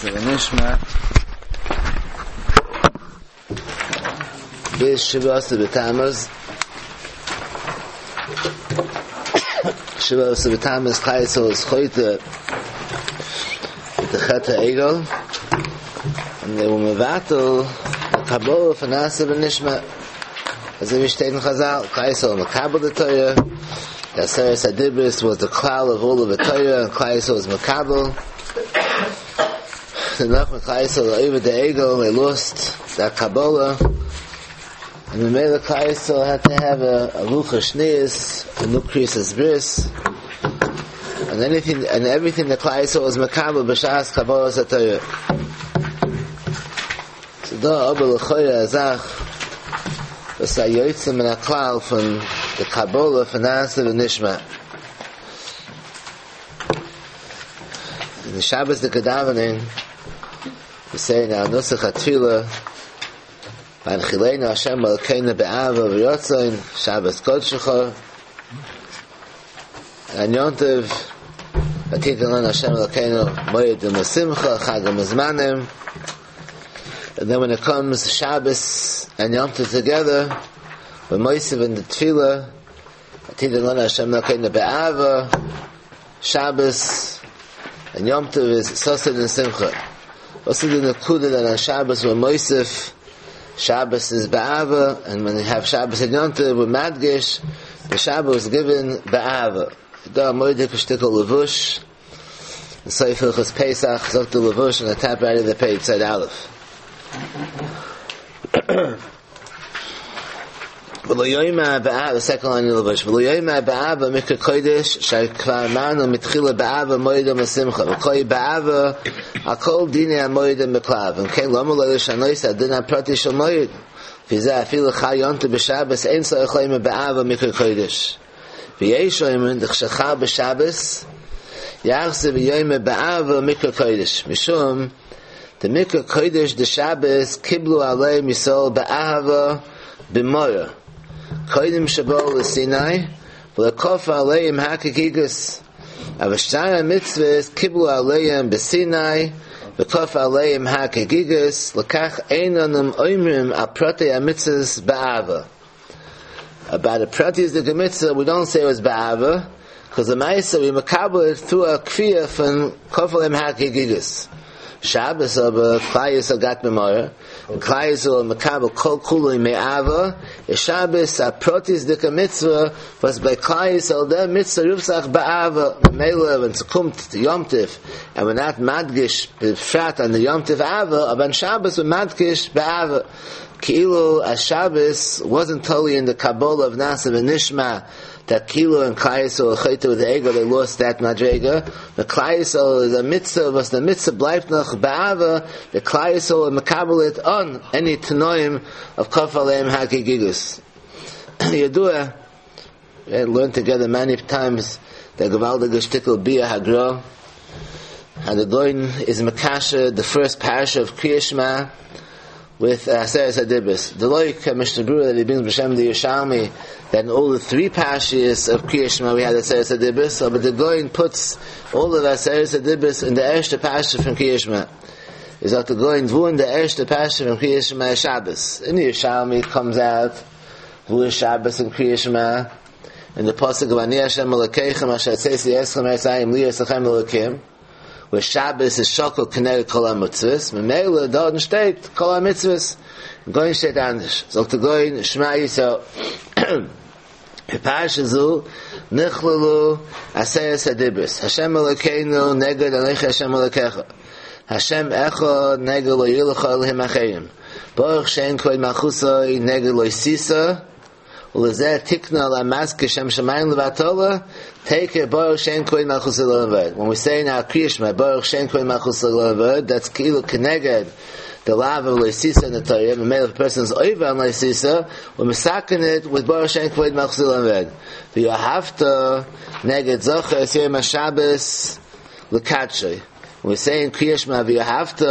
נעשה ונשמע ביז שבעה עשר בתמוז, שבעה עשר בתמוז כלל ישראל איז חוטא מיט די חטא העגל, און they were מבטל די קבלה פון נעשה ונשמע, אזוי ווי שטייט אין חזל, כלל ישראל מקבל די תורה, די עשרת הדיברות was the כלל of all of the Torah, and כלל ישראל איז מקבל. דערנאך ווען כלל ישראל איז עובר די עגל, they lost that קבלה, און ממילא כלל ישראל had to have a לוחות שניות, a new כריתת ברית, and anything and everything that כלל ישראל was מקבל בשעת קבלת התורה. ס'דא אבער לכאורה א זאך וואס איז א יוצא מן הכלל פון די קבלה פון נעשה ונשמע. אין די שבת'דיגע דאווענען, we say in our נוסח התפילה, והנחילנו השם אלקינו באהבה וברצון, שבת קדשך, און יום טוב, ותתן לנו השם אלקינו מועדים לשמחה, חגים וזמנים, and then when it comes Shabbos and Yom Tov together, we're מוסיף in the תפילה, ותתן לנו השם אלקינו באהבה, Shabbos and Yom Tov איז ששון and שמחה. וואס איז די נקודה that on Shabbos we're מוסיף, Shabbos is באהבה, and when you have Shabbos and Yom Tov we're מדגיש, the Shabbos was given באהבה. דא א מורא'דיגע שטיקל לבוש, אין סוף הלכות פסח, זאגט די לבוש on the top right of the page, side Aleph. ולא יאמר באהבה, the second line in the לבוש, ולא יאמר באהבה מקרא קודש, שכבר אמרנו מתחילה באהבה מועדים לשמחה, וכל באהבה, על כל דיני המועדים בכלל, אם כן למה לא לשנות הדין הפרטי של מועד, וזה אפילו חל יום טוב בשבת, אין צריך לומר באהבה מקרא קודש. ויש אומרים דכשחל בשבת, יחזור ויאמר באהבה מקרא קודש, משום דמקרא קודש דשבת קיבלו עליהם ישראל באהבה במרה קודם שבאו לסיני ולא כפה עליהם הר כגיגית אבל שאר המצוות קיבלו עליהם בסיני וכפה עליהם הר כגיגית לכך אין אנו אומרים על פרטי המצוות באהבה About the פרטיות'דיגע מצוה we don't say it was באהבה because למעשה we מקבל it through a כפייה פון כפה עליהם הר כגיגית. שבת אבער כלל ישראל got במרה און כלל ישראל מקבל כל כולו מאהבה איז שבת א פרטיות'דיגע מצוה וואס ביי כלל ישראל דער מצוה רופט זיך באהבה ממילא ווען ס'קומט יום טוב and we're not מדגיש בפרט on the יום טוב אהבה אבער on שבת we're מדגיש באהבה כאילו אז שבת wasn't totally in the קבלה of נעשה ונשמע that כאילו אין כלל ישראל חוטא with the עגל they lost that מדריגה, the כלל ישראל איז א מצוה וואס די מצוה בלייבט נאך באהבה, the כלל ישראל מקבל it אן any תנאים of כפה עליהם הר כגיגית. ידוע, we learned together many times the געוואלדיגע שטיקל ביאור הגרא, how the גאון איז מקשר the first פרשה of קריאת שמע with עשרת הדיברות. דלא כמשנה ברורה that he brings בשם the Yerushalmi that in all the three parshas of קריאת שמע we had עשרת הדיברות, so, but the גאון puts all of עשרת הדיברות in the ערשטע פרשה פון קריאת שמע. איז זאגט the גאון וואו אין the ערשטע פרשה פון קריאת שמע איז שבת. In the Yerushalmi comes out וואו איז שבת אין קריאת שמע אין the פסוק of אני השם אלוקיכם אשר הוצאתי אתכם מארץ מצרים להיות לכם לאלוקים where שבת איז שקול כנגד כל המצוות, ממילא דארטן שטייט כל המצוות, גאון שטייט אנדערש, זאגט דער גאון שמע ישראל בפרשה זו נכללו עשרת הדיברות, השם אלוקינו נגד אנכי השם אלוקיך, השם אחד נגד לא יהיה לך אלהים אחרים, ברוך שם כבוד מלכותו נגד לא תשא ולזה תיקנו על המזכיר שם שמים לבטלה, תיכף ברוך שם כבוד מלכותו לעולם ועד. When we say in our קריאת שמע ברוך שם כבוד מלכותו לעולם ועד, that's כאילו כנגד the לאו of לא תשא in the Torah. ממילא if a person is עובר on לא תשא, we're מתקן it with ברוך שם כבוד מלכותו לעולם ועד. ואהבת נגד זכור את יום השבת לקדשו. When we say in קריאת שמע ואהבת,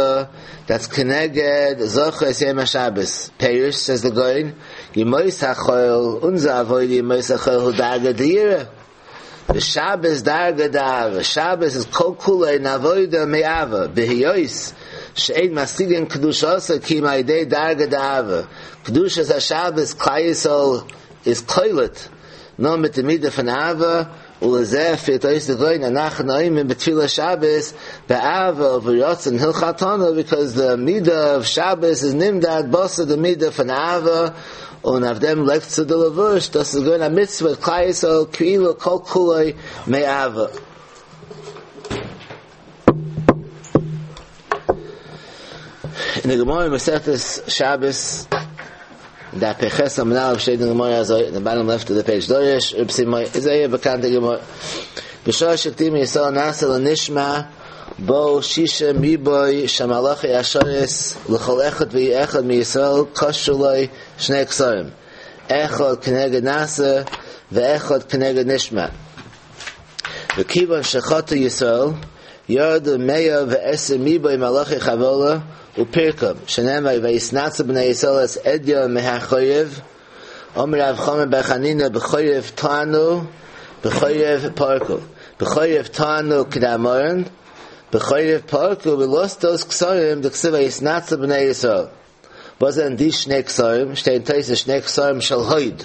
that's כנגד זכור את יום השבת. פירוש says the גאון, ימות החול אונזער עבודה ימות החול הוא דרגא דיראה. ושבת דרגא דאהבה. שבת is כל כולו אין עבודה מאהבה. בהיות. שאין משיגין קדושתה כי אם על ידי דרגא דאהבה, קדושת השבת כלל ישראל איז קולט נאר מיט די מידה פון אהבה, ולזה פירט אויס די גאון אנחנו אומרים בתפילת שבת באהבה וברצון הנחלתנו ביקאויז די מידה אוו שבת איז נמדד בתר די מידה פון אהבה און אויף דעם לייגט צו די לבוש דאס איז געווען א מצוה כלל ישראל כאילו כל כולו מאהבה. אין די גמרא אין מסכת שבת, דף פ"ח עמוד א' שטייט אין גמרא אזוי, אין די באטאם לעפט אוו די פעידזש דרש רב סימאי, איז זייער באקאנטע גמרא. בשעה שהקדימו ישראל נעשה לנשמע באו שישים ריבוא של מלאכי השרת לכל אחד ואחד מישראל קשרו לו שני כתרים אחד כנגד נעשה ואחד כנגד נשמע. וכיוון שחטא ישראל, ירדו מאה ועשרים ריבוא מלאכי חבלה ופירקום, שנאמר ויתנצלו בני ישראל את עדים מהחורב, אמר רב חמא בר חנינא בחורב טענו בחורב פרקו, בחורב טענו כדאמרן, בחורב פרקו we lost those כתרים דכתיב ויתנצלו בני ישראל. וואס זענען די שני כתרים? שטייט אין תוס' שני כתרים של הוד.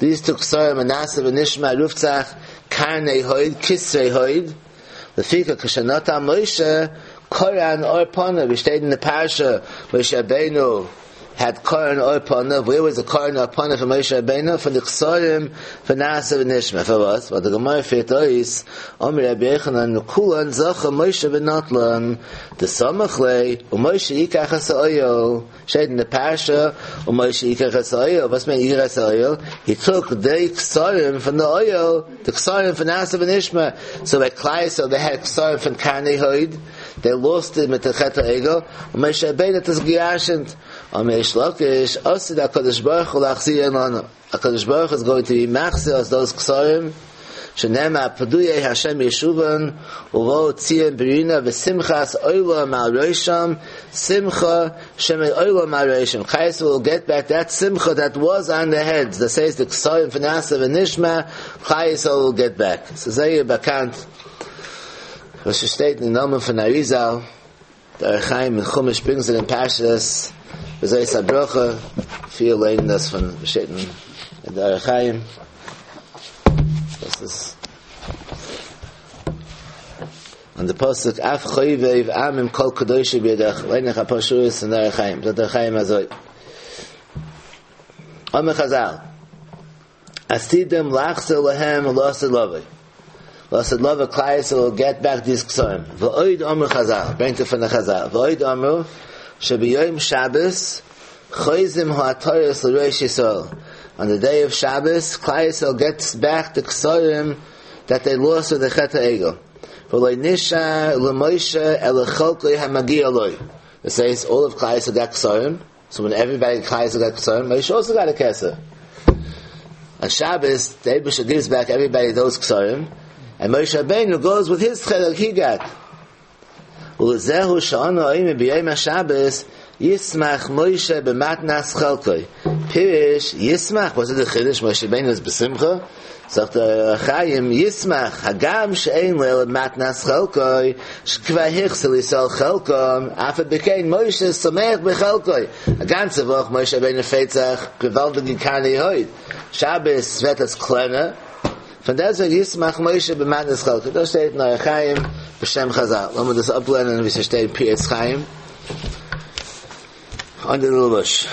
These two כתרים נעשה ונשמע רופט זיך קרני הוד, כתרי הוד, לפיכך כשנטל משה קרן עור פניו, ווי שטייט אין די פרשה משה רבינו had קרן עור פניו, where was the קרן עור פניו פון משה רבינו? פון די כתרים פון נעשה ונשמע, פארוואס? ווייל די גמרא פירט אויס, אמר רבי יוחנן מכולן זכה משה ונטלן, דסמיך ליה ומשה יקח את האוהל, שטייט אין די פרשה ומשה יקח את האוהל, וואס מיינט יקח את האוהל? He took די כתרים פון די אוהל, די כתרים פון נעשה ונשמע, so ביי כלל ישראל they had כתרים פון קרני הוד, they lost it מיט די חטא העגל, און משה רבינו האט עס געירשנט, אמר ריש לקיש, עתיד הקדוש ברוך הוא להחזירן לנו. הקדוש ברוך הוא איז גאוינג טו בי מחזיר אס דאוז כתרים, שנאמר פדויי השם ישובון ובאו ציון ברינה ושמחת עולם על ראשם, שמחה שמעולם על ראשם, כלל ישראל וויל געט בעק דעט שמחה דעט וואס אן דער העדס, דאס הייסט די כתרים פון נעשה ונשמע, כלל ישראל וויל געט בעק. ס'איז זייער באקאנט וואס ס'שטייט אין נאמען פון אריזל, דער אור החיים אין חומש ברינגס איט אין פרשת וזאת הברכה, פיל לערנען דאס פון שטייט אין דער אור החיים, דאס איז און די פסוק אף חובב עמים כל קדושי בידך, ליין איך אפאר שורות אין דער אור החיים, זאגט דער אור החיים אזוי, אמרו חזל. עתידים לחזור להם לעתיד לבוא. לעתיד לבוא כלל ישראל וויל געט בעק דיס כתרים. ועוד אמרו חזל, ברענגט ער פון די חזל, ועוד אמרו שביום שבת חוזרים העטרות לראש ישראל. אן די דעי אוו שבת כלל ישראל געטס בעק די כתרים דעט דעי לאסט וויט די חטא העגל. ולא נשאר למשה אלא חלקו המגיע לו. דאס הייסט אלל אוו כלל ישראל גאט כתרים. סאו ווען עוועריבאדי כלל ישראל גאט כתרים, משה אלסא גאט א כתר. אן שבת, די אייבערשטער גיווס בעק עוועריבאדי דאוז כתרים, ענד משה רבינו גאוס וויט היז חלק הי גאט. ולזהו שאנו אומרים ביום השבת ישמח משה במתנת חלקו. פירוש ישמח, וואס איז די חידוש משה רבינו איז בשמחה? זאגט דער אור החיים ישמח הגם שאין לו אלא מתנת חלקו שכבר החזיר לישראל חלקם אף על פי כן משה שמח בחלקו א גאנצע וואך משה רבינו פרייט זיך געוואלדיגע קרני הוד שבת ווערט עס קלענער פון דעסוועגן ישמח משה במתנת חלקו דאס שטייט אין אור החיים בשם חזל לאמיר דאס אפלערנען ווי ס'שטייט אין פרי עץ חיים אונטער די לבוש.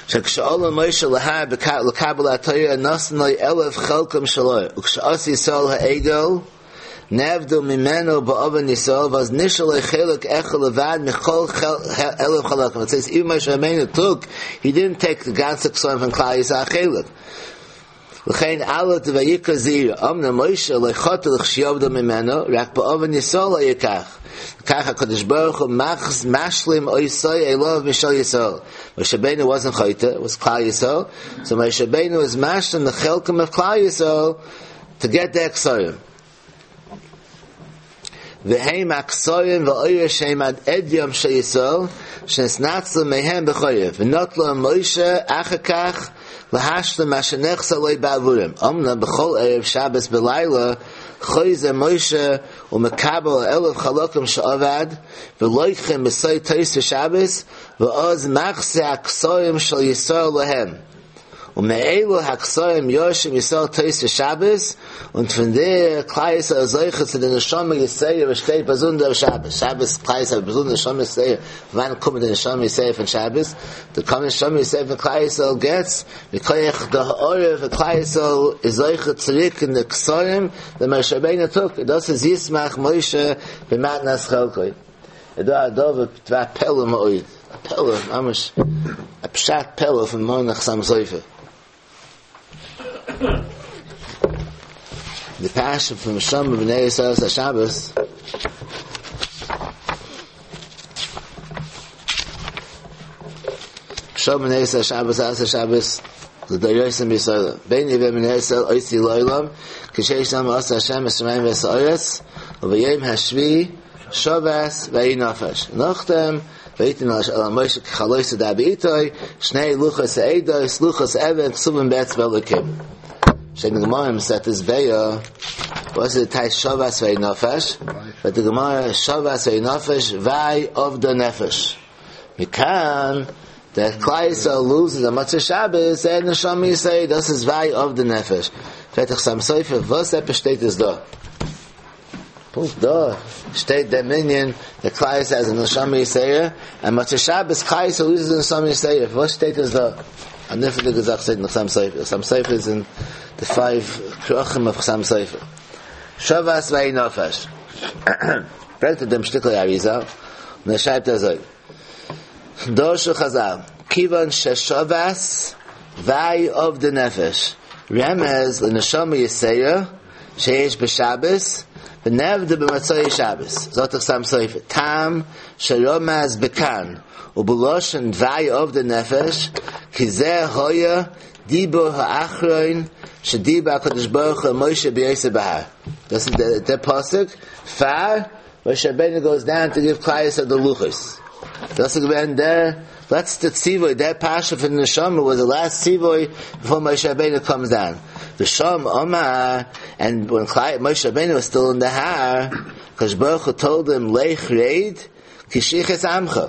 שכשעלה משה להר לקבל התורה נתן לו אלף חלקם של אור וכשעשו ישראל העגל נעבדו ממנו בעוון ישראל ואז נשאר לו חלק אחד לבד מכל אלף חלקים. It says even משה רבינו took, he didn't take the גאנצע כתרים פון כלל ישראל א חלק. לכן אלף דויקרא זעירא, אמנם משה לא חטא לכשיאבדו ממנו, רק בעוון ישראל היה כך. וכך הקדוש ברוך הוא משלים אותו אליו משל ישראל. משה רבינו wasn't חוטא, it was כלל ישראל. So משה רבינו is משלים the חלקם of כלל ישראל to get the כתרים. והם הכתרים והאורות שהם עד עדים של ישראל שנתנצלו מהם בחורב ונטלו משה אחר כך להשלים מה שנחסר לו בעבורם אמנם בכל ערב שבת בלילה חוזר משה ומקבל אלף חלקים שאבד, ולוקחם בסוד תוספות שבת, ואז מחזיר הכתרים של ישראל להם. ומאלו הכתרים יורשים ישראל תוספות שבת, און פון דער כלל ישראל איז זוכה צו די נשמה יתירה וואס שטייט באזונדער אויף שבת, שבת כלל ישראל באזונדער נשמה יתירה, פון וואנעט קומט די נשמה יתירה פון שבת? די קומט נשמה יתירה פון כלל ישראל געטס מכח די הארה פון כלל ישראל איז זוכה צוריק אין די כתרים דעם משה רבינו טאג, דאס איז ישמח משה במתנת חלקו. איז דא א דבר דבר פלא מאוד, א פלא ממש, א פשט פלא פון מרן החתם סופר. די פרשה פון שמרו בני ישראל את השבת, שמרו בני ישראל השבת את השבת לדורותם בישראל ביני ובין בני ישראל אות היא לעולם כי ששת ימים עשה השם את השמים ואת הארץ וביום השביעי שבת וינפש נאכדעם ויתן אל משה ככלות דבר אתו שני לוחות העדות לוחות אבן כתובים באצבע אלוקים שטייט אין גמרא מסכת ביצה וואס איז די טייטש שבת וינפש זאגט די גמרא שבת וינפש וויי אבדה נפש מכאן דער כלל ישראל לוזעס א מוצאי שבת זייער נשמה יתירה דאס איז וויי אבדה נפש פרעגט דער חתם סופר וואס עפעס שטייט עס דא פונקט דא שטייט דעם ענין דער כלל ישראל איז א נשמה יתירה און מוצאי שבת כלל ישראל לוזעס נשמה יתירה וואס שטייט עס דא א נפלא'דיגע זאך שטייט אין חתם סופר חתם סופר איז אין די פייוו כרכים אויף חתם סופר שבת וינפש ברענגט ער דעם שטיקל אריז"ל און ער שרייבט אזוי דרשו חז"ל כיוון ששבת וויי אבדה נפש רמז לנשמה יתירה שיש בשבת ונאבדה במוצאי שבת זאגט דער חתם סופר טעם שרמז בכאן ובלשון וויי אבדה נפש כי זה היה דיבור האחרון שדיבר הקדוש ברוך הוא אל משה בהיותו בהר דאס איז דער פסוק פאר משה רבינו גאוס דאון טו גיוו כלל ישראל די לוחות. דאס איז געווען דער לעצטע ציווי, דער פרשה פון נשמה וואס די לאסט ציווי ביפאר משה רבינו קאמס דאון. ושם אמר, ענד ווען משה רבינו וואס סטיל אין די הר, הקדוש ברוך הוא טאלד הים לך רד כי שחת עמך.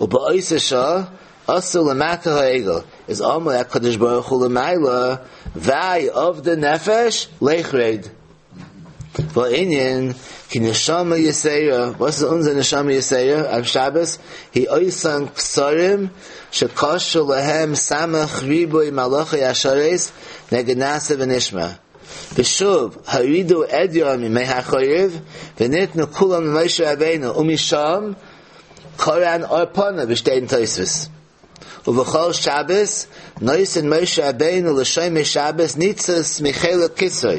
ובאותה שעה עשו למטה העגל, איז אמר הקדוש ברוך הוא למעלה, וויי אבדה נפש, לך רד. והענין כי נשמה יתירה, וואס איז אונזער נשמה יתירה אויף שבת? היא אותן כתרים שקשרו להם סמך ריבוי מלאכי השרת נגד נעשה ונשמע. ושוב הורידו עדיין מהחורב וניתנו כולם למשה רבינו ומשם קרן אור פניו ווי שטייט אין תוספות. ובכל שבת נותן משה רבינו לשומר שבת ניצוץ מחלק כתרו.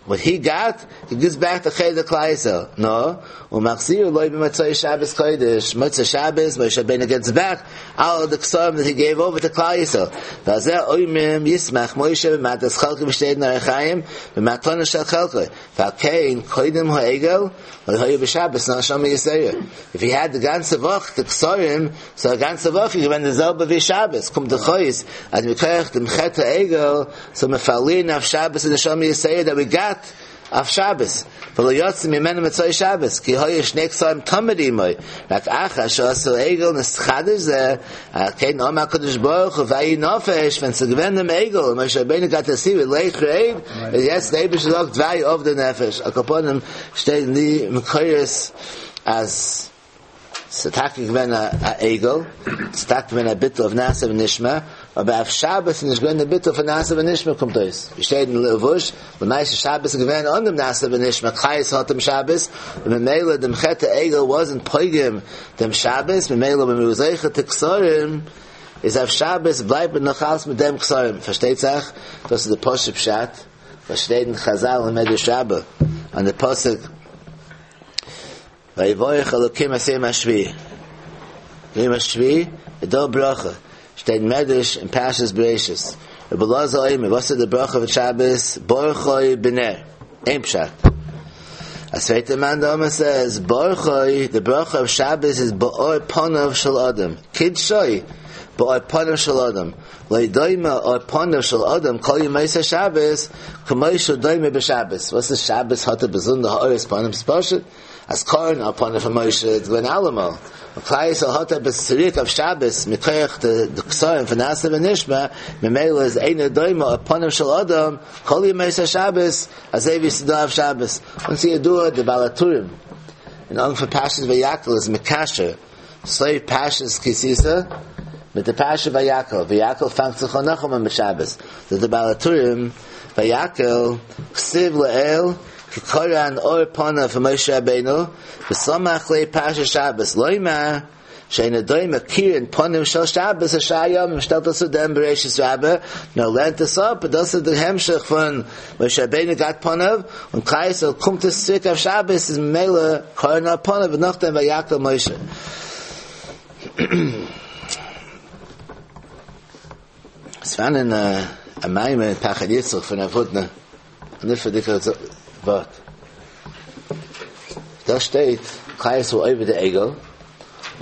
וואט הי גאט, הי גיווס בעק די חלק כלל ישראל. נא, ומחזיר לו במוצאי שבת קודש, מוצאי שבת, משה רבינו געטס בעק אלל די כתרים דעט הי געיוו אווער טו כלל ישראל. ועל זה אומרים ישמח משה במתנת חלקו ווי שטייט אין אור החיים במתנה של חלקו. ועל כן קודם העגל לא היה בשבת נשמה יתירה. איף הי העד די גאנצע וואך די כתרים, סאו א גאנצע וואך איז געווען די זעלבע ווי שבת, קומט דאך אויס אז מכח דעם חטא העגל זאל מען פארלירן אויף שבת די נשמה יתירה דעט ווי גאט אויף שבת, ולא יצא ממנו מוצאי שבת, כי היו שני כתרים תמיד עמו, רק אחר שעשו עגל נתחדש זה, על כן אמר הקדוש ברוך הוא וינפש, ווען ס'איז געווען דעם עגל, און משה רבינו גאט די ציווי לך רד, און יעצט דער אייבערשטער זאגט וויי אבדה נפש, על כל פנים שטייט אין די מקורות אז ס'איז טאקע געווען א עגל, ס'איז טאקע געווען א ביטול אויף נעשה ונשמע, אבער אויף שבת איז נישט געווען די ביטול פון נעשה ונשמע קומט אויס, ווי שטייט אין לבוש, למעשה שבת איז געווען אן דעם נעשה ונשמע, כלל ישראל האט דעם שבת, און ממילא דעם חטא העגל וואזנט פוגם דעם שבת, ממילא ווען מ'איז זוכה צו כתרים, איז אויף שבת בלייבט מען נאך אלץ מיט דעם כתרים, פארשטייט זיך דאס איז די פשוט פשט וואס שטייט אין חזל אין מדרש רבה אן די פסוק ויברך אלקים את יום השביעי, יום השביעי איז דא ברכה, שטייט אין מדרש אין פרשת בראשית, רבי אלעזר אומר, וואס איז די ברכה פון שבת, ברכו בנר, איין פשט. א צווייטע מאן דאמר סעז, ברכו, די ברכה אויף שבת איז באור פניו של אדם, קידשו. באור פנים של אדם, לא דומה אור פניו של אדם כל ימות השבת כמו שהוא דומה בשבת. וואס איז שבת האט א באזונדער הארת פנים? ס'פשוט אז קרן אור פניו פון משה איז געווען אלעמאל, און כלל ישראל האט עפעס צוריק אויף שבת מכח די כתרים פון נעשה ונשמע, ממילא איז אינו דומה אור פניו של אדם כל ימות השבת אזוי ווי ס'איז דא אויף שבת. און ס'איז ידוע די בעל הטורים אין אנפאנג פרשת ויקהל איז מקשר סוף פרשת כי תשא מיט די פרשה ויקהל, ויקהל פאנגט זיך אן נאכאמאל מיט שבת, זאגט די בעל הטורים ויקהל כתיב לעיל כי קרן אור פניו פון משה רבינו וסמך ליה פרשת שבת לומר שאינו דומה קירון פנים של שבת לשאר ימים, שטעלט עס צו דעם בראשית רבה, נאר לערנט עס אפ, דאס איז די המשך פון משה רבינו געהאט פניו, און כלל ישראל קומט עס צוריק אויף שבת איז ממילא קרן אור פניו און נאכדעם ויקהל משה. עס פארהאן א מאמר אין פחד יצחק פון רב הודנא, א נפלא'דיגע ווארט. דא שטייט כלל ישראל עובד די עגל, און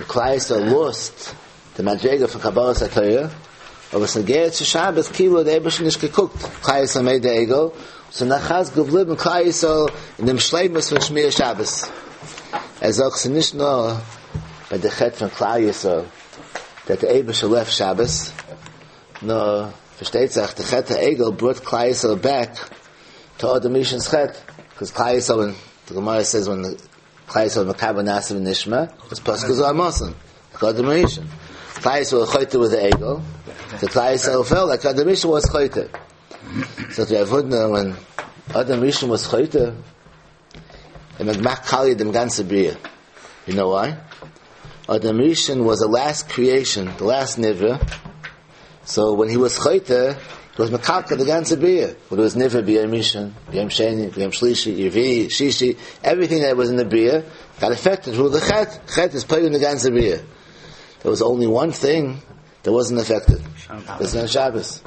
כלל ישראל לאזט די מדריגה פון קבלת התורה, אבער ס'נוגע צו שבת כאילו האט דער אייבערשטער נישט געקוקט, כלל ישראל מיט די עגל, ס'איז נאך אלץ געבליבן כלל ישראל אין דעם שלימות פון שמירת שבת. ער זאגט ס'איז נישט נאר ביי די חטא פון כלל ישראל דעט די אייבערשטער לעפט שבת, נאר פארשטייט זיך די חטא העגל בראט כלל ישראל בעק טו אדם הראשון'ס חטא, קאז כלל ישראל ווען די גמרא סעיז ווען כלל ישראל מקבל נעשה ונשמע, איז פסקה זו אמת'ן, אדם הראשון. כלל ישראל חוטא וויט די עגל, די כלל ישראל פעלט לייק אדם הראשון וואס חוטא. זאגט רב הודנא ווען אדם הראשון וואס חוטא, און מען מאכט קאליע דעם גאנצע בריאה. יו נאו וויי? אדם הראשון וואס די לאסט קריעישאן, די לאסט נברא, סאו ווען הי וואס חוטא, הי וואס מקלקל די גאנצע בריאה, וואט וואס נברא ביום ראשון, ביום שני, ביום שלישי, רביעי, שישי, עווריטינג דעט וואס אין די בריאה, גאט עפעקטעד טרו די חטא, חטא איז פוגם די גאנצע בריאה. דער וואס אנלי וואן טינג דעט וואזנט עפעקטעד, דאס איז שבת.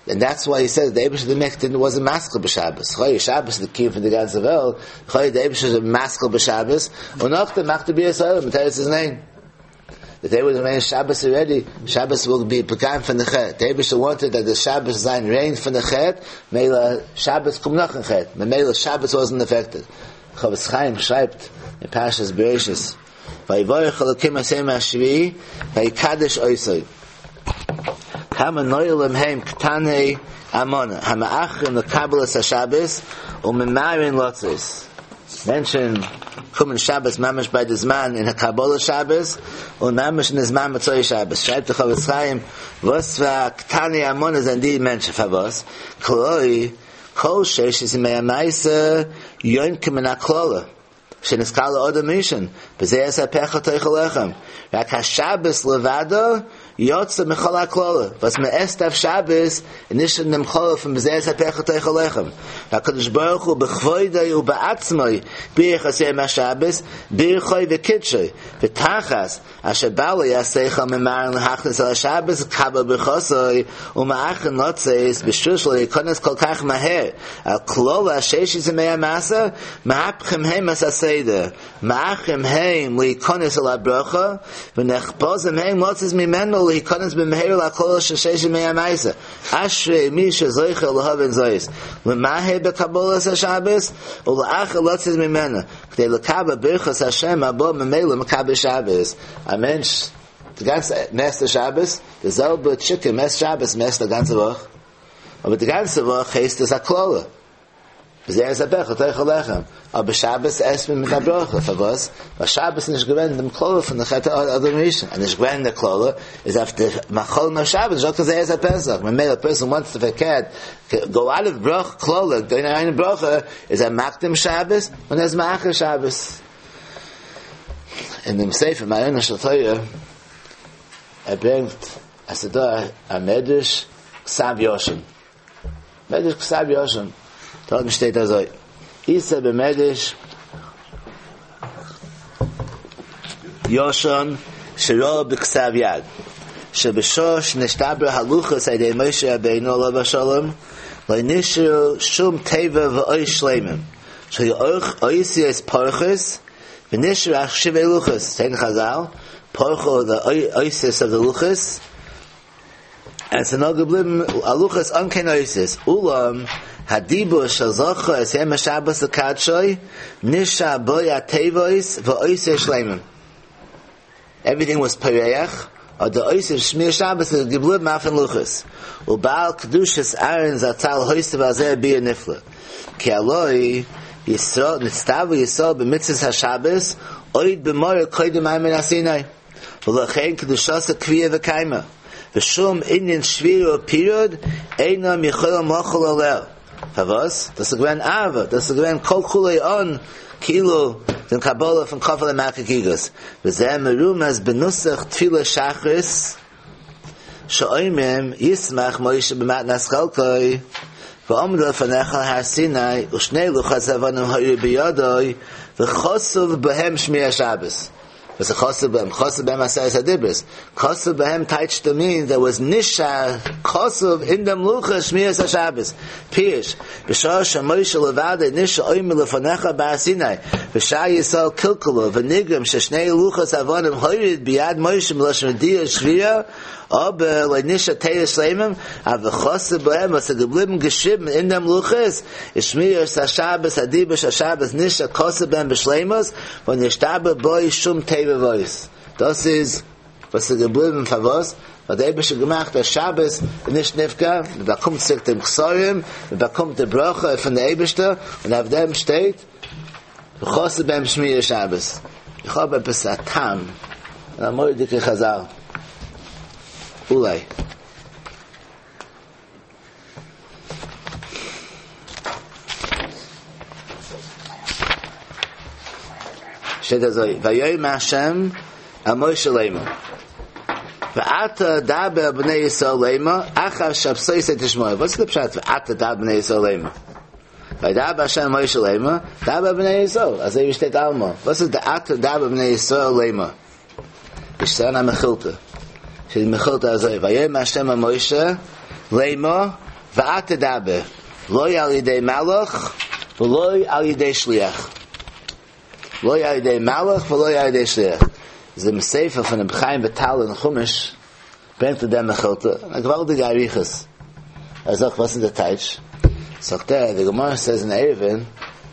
און דעטס וויי הי סעיז די אייבערשטער די מעכט דידנט וואזנט משכיל בשבת, לכאורה שבת איז די קיום פון די גאנצע וועלט, לכאורה די אייבערשטער איז משכיל בשבת, און נאכדעם מאכט די בריאת העולם מיט תירוץ איז ניין. די דעי וואס ריין שבת אלרעדי, שבת וויל בי פגם פון די חטא, די אייבערשטער וואנטעד דעט די שבת זיין ריין פון די חטא, מילא שבת קומט נאכן חטא, ממילא שבת וואזנט עפעקטעד. חפץ חיים שרייבט אין פרשת בראשית, ויברך אלקים את יום השביעי ויקדש אותו. כמה נועלים הם קטני אמנה המאחרים לקבל את השבת וממהרין לצאת. מענטשן קומען שבת ממש ביי די זמן אין הקבלת שבת און ממש אין די זמן מוצאי שבת. שרייבט דער חפץ חיים וואס פאר קטני אמנה זענען די מענטשן פארוואס כי כל ששת ימי המעשה יונקים מן הקללה. שנתקלל אדם הראשון, בזיעת אפיך תאכל לחם, רק השבת לבדה יצא מכל הקללה, וואס מען עסט אויף שבת איז נישט אין דעם קללה פון בזיעת אפיך תאכל לחם, והקדוש ברוך הוא בכבודו ובעצמו בירך את יום השבת, בירכו וקידשו, ותחת אשר בעלי השכל ממהרין להכניס אל השבת לקבל ברכתו ומאחרין לצאת בשביל שלא יכנס כל כך מהר אל קללת ששת ימי המעשה מהפכים הם את הסדר מאחרים הם להיכנס אל הברכה ונחפזים הם לצאת ממנו להיכנס במהרה לקללה של ששת ימי המעשה אשרי מי שזוכה להבין זאת למהר בקבלת השבת ולאחר לצאת ממנה כדי לקבל ברכת השם הבאה ממילא מקבל שבת, א מענטש די גאנצע מ'עסט שבת, די זעלבע טשיקען מ'עסט שבת מ'עסט א גאנצע וואך, אבער די גאנצע וואך הייסט עס א קללה, בזיעת אפיך תאכל לחם, אבער שבת עסט מען מיט א ברכה, פארוואס? ווייל שבת איז נישט געווען דעם קללה פון די חטא אדם הראשון, אז נישט געווען די קללה, איז אויף די מאכלים אויף שבת נישטא קיין זיעת הפסח, ממילא א פערסאן וואנטס טו פארקערט, גאו אוט אוו ברכה קללה, גיין אריין אין ברכה, איז ער מקדים שבת און ער איז מאחר שבת. אין דעם ספר מעיינה של תורה, ער ברענגט אז ס'איז דא א מדרש כתב ישן, מדרש כתב ישן, דארטן שטייט אזוי, איתא במדרש ישן שראה בכתב יד, שבשעה שנשתברו הלוחות על ידי משה רבינו עליו השלום, לא נשארו שום תיבה ואות שלמים, שהיו אותיות פורחות, ונשארו רק שברי לוחות, שטייט אין חזל, פרחו די אותיות אוו די לוחות, און ס'איז נאר געבליבן א לוחות אן קיין אותיות, אולם הדיבור של זכור את יום השבת לקדשו נשאר בו התיבות והאותיות שלימים. עווריטינג וואס פורח, אבער די אותיות שמירת שבת איז געבליבן אויפן לוחות, ובעל קדושת אהרן זצל הוסיף על זה ביאור נפלא, כי הלא ישראל נצטוו ישראל במצוות השבת עוד במרה קודם מעמד הר סיני, ולכן קדושתה קביעא וקיימא, ושום ענין שבירה ופירוד אינם יכולים לחול עליה. פארוואס? דאס איז געווען אהבה, דאס איז געווען כל כולו אן כאילו דעם קבלה פון כפה עליהם הר כגיגית, וזה מרומז בנוסח תפילת שחרית שאומרים ישמח משה במתנת חלקו ועמדו לפניך על הר סיני ושני לוחות אבנים היו בידו וכתוב בהם שמירת שבת. וואס איז כתוב בהם? כתוב בהם עשרת הדיברות. כתוב בהם טייטש טו מין דער וואס נשאר כתוב אין דעם לוחות שמירת השבת. פירוש, בשעה שמשה לבדו נשאר עומד לפניך בהר סיני, ושאר ישראל קלקלו ונגרם ששני לוחות אבנים הוריד ביד משה מלשון רדייה ושבירה, אבער לא נשאר תורה שלימים, אבל כתוב בהם וואס איז געבליבן געשריבן אין דעם לוחות, איז שמירת השבת הדיבור של שבת נשאר כתוב בהם בשלימות, ולא נשתבש בו שום תיבה ואות. דאס איז וואס איז געבליבן פארוואס? ווייל דער אייבערשטער האט געמאכט אז שבת איז נישט נפגע, מען באקומט צוריק דעם כתרים, מען באקומט די ברכה פון די אייבערשטער, און אויף דעם שטייט וכתוב בהם שמירת שבת. איך האב עפעס א טעם אין א מורא'דיגע חזל. אולי. שטייט אזוי, ויאמר השם אל משה לאמר, ועתה דבר אל בני ישראל לאמר, אחר שבתותי תשמורו. וואס איז די פשט ועתה דבר אל בני ישראל לאמר? וידבר השם אל משה לאמר, דבר אל בני ישראל, אזוי ווי שטייט אלעמאל. וואס איז די עתה דבר אל בני ישראל לאמר? איז דא א מכילתא. שטייט אין מכילתא אזוי, ויאמר השם אל משה לאמר, ועתה דבר, לא על ידי מלאך ולא על ידי שליח. לא על ידי מלאך ולא על ידי שליח. איז דעם ספר פון רבי חיים וויטאל אין חומש ברענגט ער דעם מכילתא, א געוואלדיגע אריכות. ער זאגט וואס איז די טייטש? זאגט ער, די גמרא סעז אין עירובין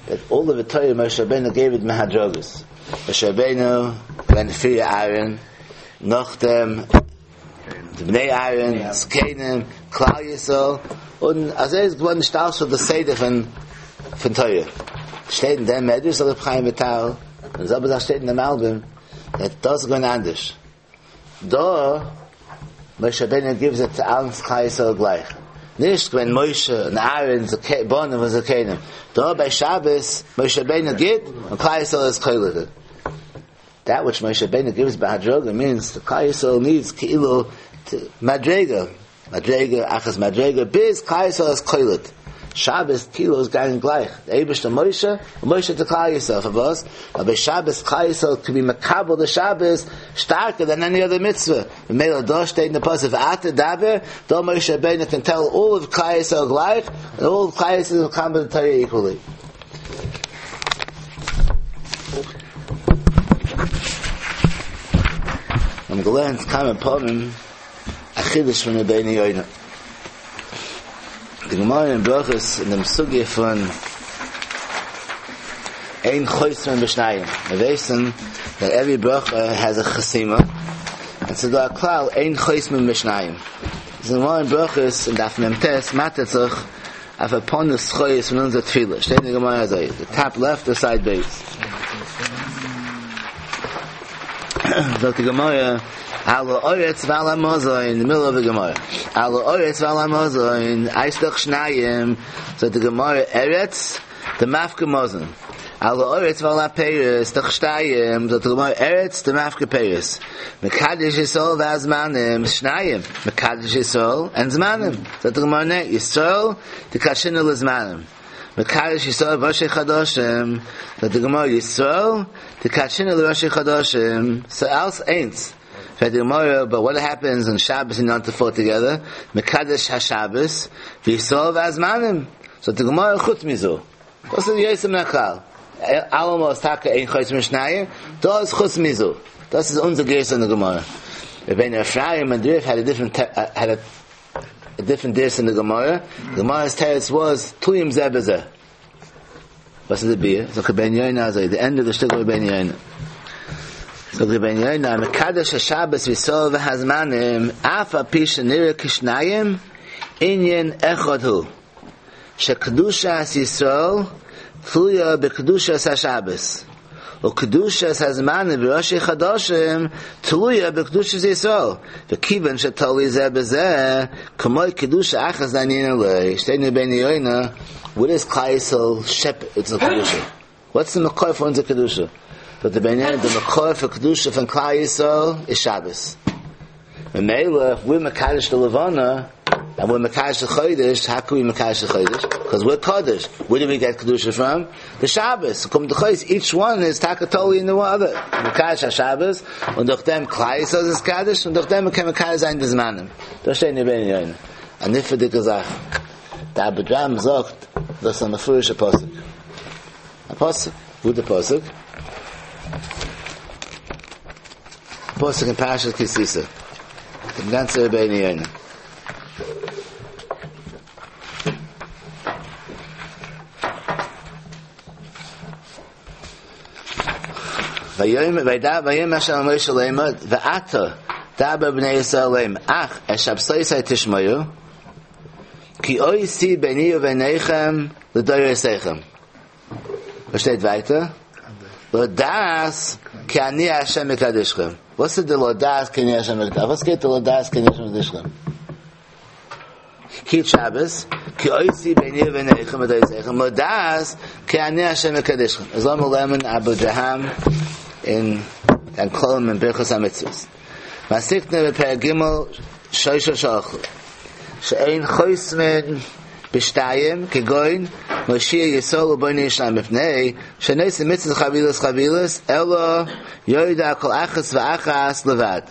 דעט אלל אוו די תורה משה רבינו געיוו איט בהדרגות. משה רבינו ווען פריער אהרן, נאכדעם די בני אהרן, זקנים, כלל ישראל, און אזוי איז געווארן נשתלשל די סדר פון פון תורה. שטייט אין דעם מדרש זאגט רבי חיים וויטאל, און די זעלבע זאך שטייט אין דעם מלבים, דעט דאס איז געווען אנדערש. דא משה רבינו גיבס איט צו אלץ כלל ישראל גלייך, נישט געווען משה און אהרן בנים וזקנים, דא ביי שבת משה רבינו גיט און כלל ישראל איז קולט. דעט וויטש משה רבינו גיבס בהדרגה מינס כלל ישראל נידס כאילו מדרגה מדרגה אחר מדרגה ביז כלל ישראל איז קולט שבת כאילו איז געגאנגען גלייך די אייבערשטער משה און משה צו כלל ישראל פארוואס ווייל ביי שבת כלל ישראל קען בי מקבל די שבת שטארקער דען עני אדער מצוה ממילא דא שטייט אין די פסוק ועתה דבר דא משה רבינו קען טעל אלל אוו כלל ישראל גלייך און אלל אוו כלל ישראל איז מקבל די תורה איקוועלי. מיר האבן געלערנט כמה פעמים א חידוש פון רבינו יונה. די גמרא אין ברכות אין דעם סוגיא פון אין חותמין בשניים. מיר ווייסן דעט עווערי ברכה העז א חתימה, און ס'איז דא א כלל אין חותמין בשניים. די גמרא אין ברכות אין דף מ"ט מאטערט זיך אויף א פאר נוסחאות פון אונזער תפילה. שטייט אין די גמרא אזוי, די טאפ לעפט די סייד בית. זאגט די גמרא, על הארץ ועל המזון, אין די מידל אוו די גמרא, על הארץ ועל המזון, איז דאך שניים, זאגט די גמרא, ארץ דמפקא מזון, על הארץ ועל הפירות, דאך שתיים, זאגט די גמרא, ארץ דמפקא פירות, מקדש ישראל והזמנים, שניים, מקדש ישראל און זמנים, זאגט די גמרא, ניין, ישראל דקדשינהו לזמנים. מקדש ישראל וראשי חדשים, זאגט די גמרא ישראל דקדשינהו לראשי חדשים, ס'איז אלס איינס, פרעגט די גמרא באט וואט העפענס אן שבת און יום טוב פאל טוגעדער, מקדש השבת וישראל והזמנים, זאגט די גמרא חוץ מזו, דאס איז יוצא מן הכלל. אלעמאל איז טאקע אין חותמין בשניים, דא איז חוץ מזו. דאס איז אונזער גירסא אין די גמרא. רבינו אפרים און די רי"ף had a different had a different גירסא אין די גמרא. די גמרא's תירוץ was תלויים זה בזה. וואס איז די ביאור? זאגט רבינו יונה אזוי, די ענדע די שטיקל רבינו יונה. זאגט רבינו יונה, מקדש השבת וישראל והזמנים, אף על פי שנראה כשניים, ענין אחד הוא, שקדושת ישראל תלויה בקדושת השבת, וקדושת הזמנים וראשי חדשים תלויה בקדושת ישראל, וכיוון שתלוי זה בזה, כמו קדושה אחת דאינה ליה, שטייט אין רבינו יונה, וואו דאס כלל ישראל שעפט אונזער קדושה? וואטס די מקור פאר אונזער קדושה? זאגט רבינו יונה, די מקור פאר קדושה פון כלל ישראל איז שבת. ממילא איף וויר מקדש די לבנה, און וויר מקדש די חודש, האו קען ווי מקדש די חודש? קאז וויר קדוש, ווער דו ווי געט קדושה פראם? די שבת, קומט דאך אויס איטש וואן איז טאקע תלוי אין די אדער, מקדש השבת, און דורך דעם כלל ישראל איז נתקדש, און דורך דעם מ'קען מקדש זיין די זמנים. דאס שטייט אין רבינו יונה. א נפלא'דיגע זאך. די אבודרהם זאגט דאס איז א מפורש'ע פסוק. א פסוק. וואו די פסוק? פסוק אין פרשת כי תשא. דעם גאנצע רבינו יונה. ויאמר וידבר ויאמר השם אל משה לאמר ועתה דבר אל בני ישראל לאמר אך את שבתותי תשמרו כי אות היא ביני וביניכם לדורותיכם וואס שטייט ווייטער? לדעת כי אני השם מקדשכם. וואס איז די לדעת כי אני השם מקדשכם? וואס גייט די לדעת כי אני השם מקדשכם? קיפ שבת, כי אות היא ביני וביניכם לדורותיכם, לדעת כי אני השם מקדשכם. איז לאמיר לערנען אבודרהם אין דיין כללים אין ברכות המצוות. מתיקנא בפרק ג' שלשה שאכלו. שאין חותמין בשתיים כגון מושיע ישראל ובונה ירושלים מפני שאין עושין מצוות חבילות חבילות אלא יורד על כל אחת ואחת לבד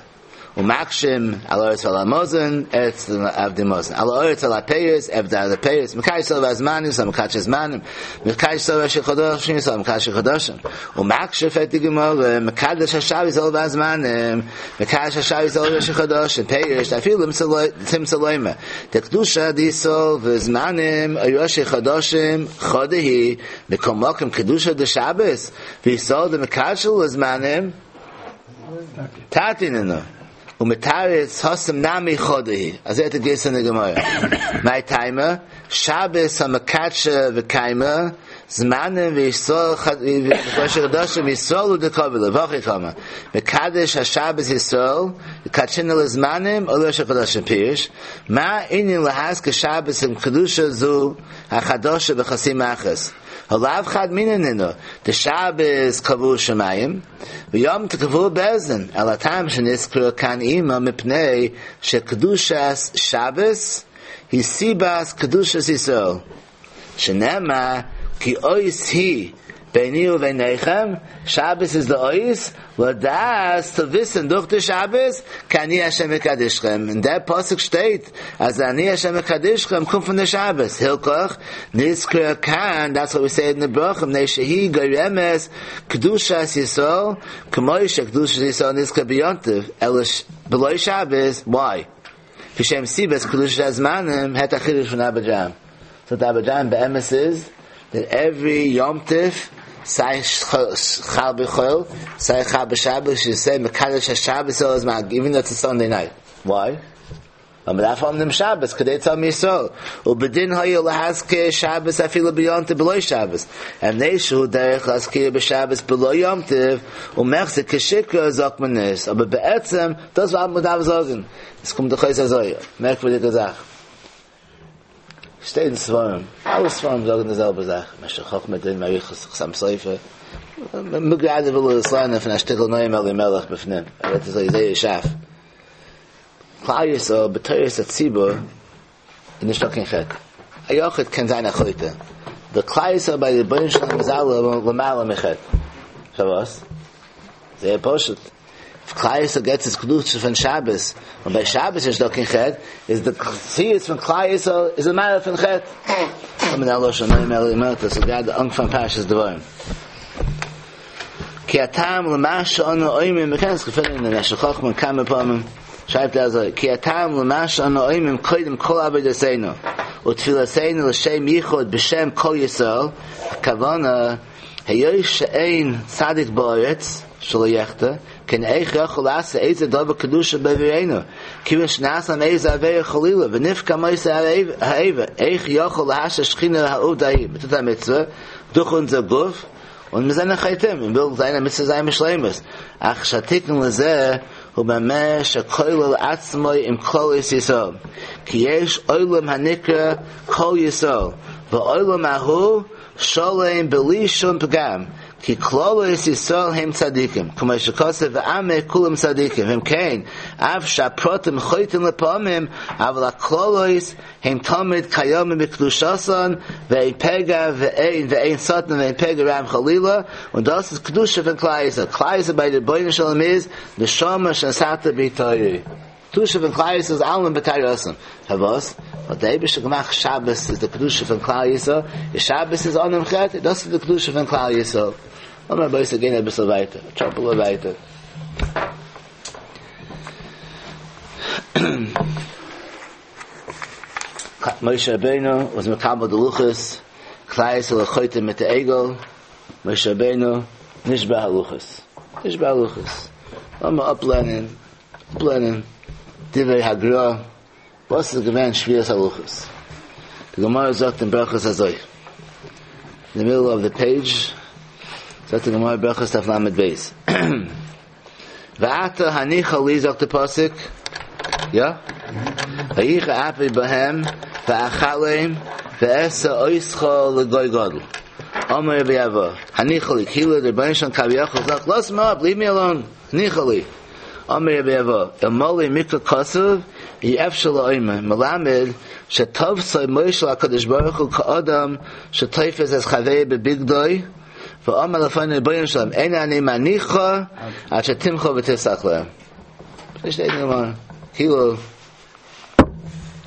ומקשים על הארץ ועל המזון, ארץ עבדי מזון, על הארץ על הפירות, עבדי על הפירות, מקדש ישראל והזמנים, ישראל מקדש הזמנים, מקדש ישראל וראשי חדשים, ישראל מקדש חדשים, ומקשה פרעגט די גמרא, מקדש השבת ישראל והזמנים, מקדש השבת ישראל וראשי חדשים, פירוש, אפילו תמצא לומר, דקדושה דישראל וזמנים, ראשי חדשים, חדא היא, מכל מקום קדושה דשבת, וישראל דמקדשא לזמנים, תרתי נינהו ומתרץ התם נמי חדא היא אזוי האט געהייסן אין די גמרא מאי טעמא שבת הא מקדשא וקיימא זמנים וישראל וראשי חדשים ישראל הוא דקביל להו והכי קאמר מקדש השבת ישראל יקדשינהו לזמנים או לראשי חדשים פירוש מה ענין להזכיר שבת עם קדושה זו החדשה בחתימה אחת הא לאו חד מינא נינהו דשבת קבעוה שמים ויום טוב קבעוהו בית דין, אלא הטעם שנזכרה כאן עמה מפני שקדושת שבת היא סיבת קדושת ישראל, שנאמר כי אות היא ביני וביניכם, שבת איז די אות, לדעת צו וויסן דורך די שבת, כי אני השם מקדשכם, אין דער פסוק שטייט אז אני השם מקדשכם קומט פון די שבת, הלכך נזכרה כאן, דעטס וואט ווי סעי אין די ברכה, מפני שהיא גורמת קדושת ישראל, כמו שקדושת ישראל נזכר ביום טוב, אלא בלא שבת, why? לפי שהם סיבת קדושת הזמנים, הערט א חידוש פון אבודרהם. סאו די אבודרהם באמת איז, דעט עוורי יום טוב, סיי חל בחול, סיי חל בשבת, יו סעי מקדש השבת על הזמן, איווען דאו איטס א סאנדעי נייט. Why? ווייל מען דארף האבן דעם שבת כדי צו האבן ישראל, ובדין היה להזכיר שבת אפילו ביום טוב בלא שבת, ומפני שהוא דרך להזכיר בשבת בלא יום טוב, ומחזי כשיקרא זאגט מען נישט, אבער בעצם דאס וואס מען דארף זאגן, עס קומט דאך אויס אזוי, מערקווירדיגע זאך. שטייט אין ספרים, אלע ספרים זאגן די זעלבע זאך, משך חכמה דין מאריכות חתם סופר, מ'גראדע וויל עס לערנען פון א שטיקל נועם אלימלך בפנים, ער רעדט אזוי זייער שארף. כלל ישראל בתורת הציבור איז נישטא קיין חטא, א יחיד קען זיין א חוטא, די כלל ישראל ביי די רבונו של עולם איז אלע למעלה מחטא, פארוואס? זייער פשוט, אויב כלל ישראל געט עס קדושה פון שבת, און ביי שבת איז נישטא קיין חטא, איז די מציאות פון כלל ישראל איז למעלה פון חטא. קומט א לשון נועם אלימלך, דאס איז גראדע אנפאנג פרשת דברים. כי הטעם למה שאנו אומרים, מ'קען עס געפינען אין משך חכמה כמה פעמים, שרייבט ער אזוי, כי הטעם למה שאנו אומרים קודם כל עבודתינו ותפילתינו לשם יחוד בשם כל ישראל, הכוונה, היות שאין צדיק בארץ שלא יחטא, כן איך יכול לעשות איזה דבר קדושה בעבורנו, כיוון שנעשה להם איזה עבירה חלילה ונפגם אותו האבר, איך יכול להשרות שכינה העובדא ההיא, מ'טוט א מצוה דורך אונזער גוף, און מיר זענען חוטאים, און וויל זיין א מצוה זיין בשלימות, אך שהתיקון לזה הוא במה שכולל עצמו עם כללות ישראל, כי יש עולם הנקרא כל ישראל, והעולם ההוא שלם בלי שום פגם, כי כללות ישראל הם צדיקים, כמו שכתוב ועמך כולם צדיקים, אם כן, אף שהפרטים חוטאים לפעמים, אבל הכללות הם תמיד קיימים בקדושתן, ואין פגע ואין ואין שטן ואין פגע רע חלילה, און דאס איז קדושה פון כלל ישראל, כלל ישראל ביי די רבונו של עולם איז נשמה שנתת בי טהורי, קדושה פון כלל ישראל איז אלעמען בטהרתם, פארוואס? ווייל דער אייבערשטער האט געמאכט שבת איז די קדושה פון כלל ישראל, און שבת איז אן דעם חטא, דאס איז די קדושה פון כלל ישראל. לאמיר רבותי גיין אביסל ווייטער, א טראפעלע ווייטער. משה רבינו was מקבל די לוחות, כלל ישראל חוטא מיט די עגל, משה רבינו נשבר הלוחות, נשבר הלוחות. לאמיר אפלערנען, אפלערנען דברי הגרא, וואס איז געווען שבירת הלוחות. די גמרא זאגט אין ברכות אזוי, אין די מידל אוו די פעידזש, זאגט די גמרא ברכות דף ל"ב, ועתה הניחה לי זאגט די פסוק, יא? ויחר אפי בהם ואכלם ואעשה אותך לגוי גדול. אמר רבי אבהו, הניחה לי, כאילו דער רבונו של עולם כביכול זאגט, לאז מיר אפ, ליעוו מי אלאון, הניחה לי. אמר רבי אבהו, אלמלא מקרא כתוב, אי אפשר לאומר, מלמד שתפסו משה להקדוש ברוך הוא כאדם שתופס את חברו בבגדו, ואמר לפניו רבונו של עולם, אין אני מניחך עד שתמחול ותסלח להם. שטייט אין גמרא, כאילו,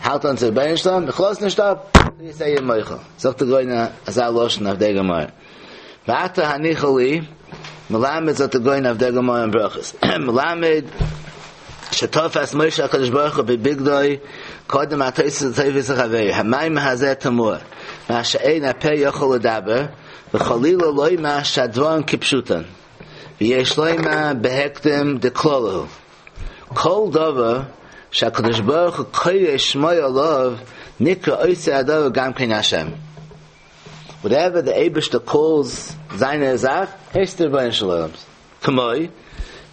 האלט אן צו רבונו של עולם, איך לאז נישט אפ, ביז זיי מוחל. זאגט דער גאון אזא לשון אויף דער גמרא. ועתה הניחה לי, מלמד זאגט דער גאון אויף דער גמרא אין ברכות, מלמד שתפס משה הקדוש ברוך הוא בבגדו כאדם התופס את חברו, המאמר הזה תמוה, מה שאין הפה יכול לדבר, וחלילה לומר שהדברים כפשוטן, ויש לומר בהקדם דקללה הוא. כל דבר שהקדוש ברוך הוא קורא שמו עליו נקרא עושה הדבר גם כן השם. Whatever the אייבערשטער calls זיינע זאך, הייסט דער רבונו של עולם. כמו,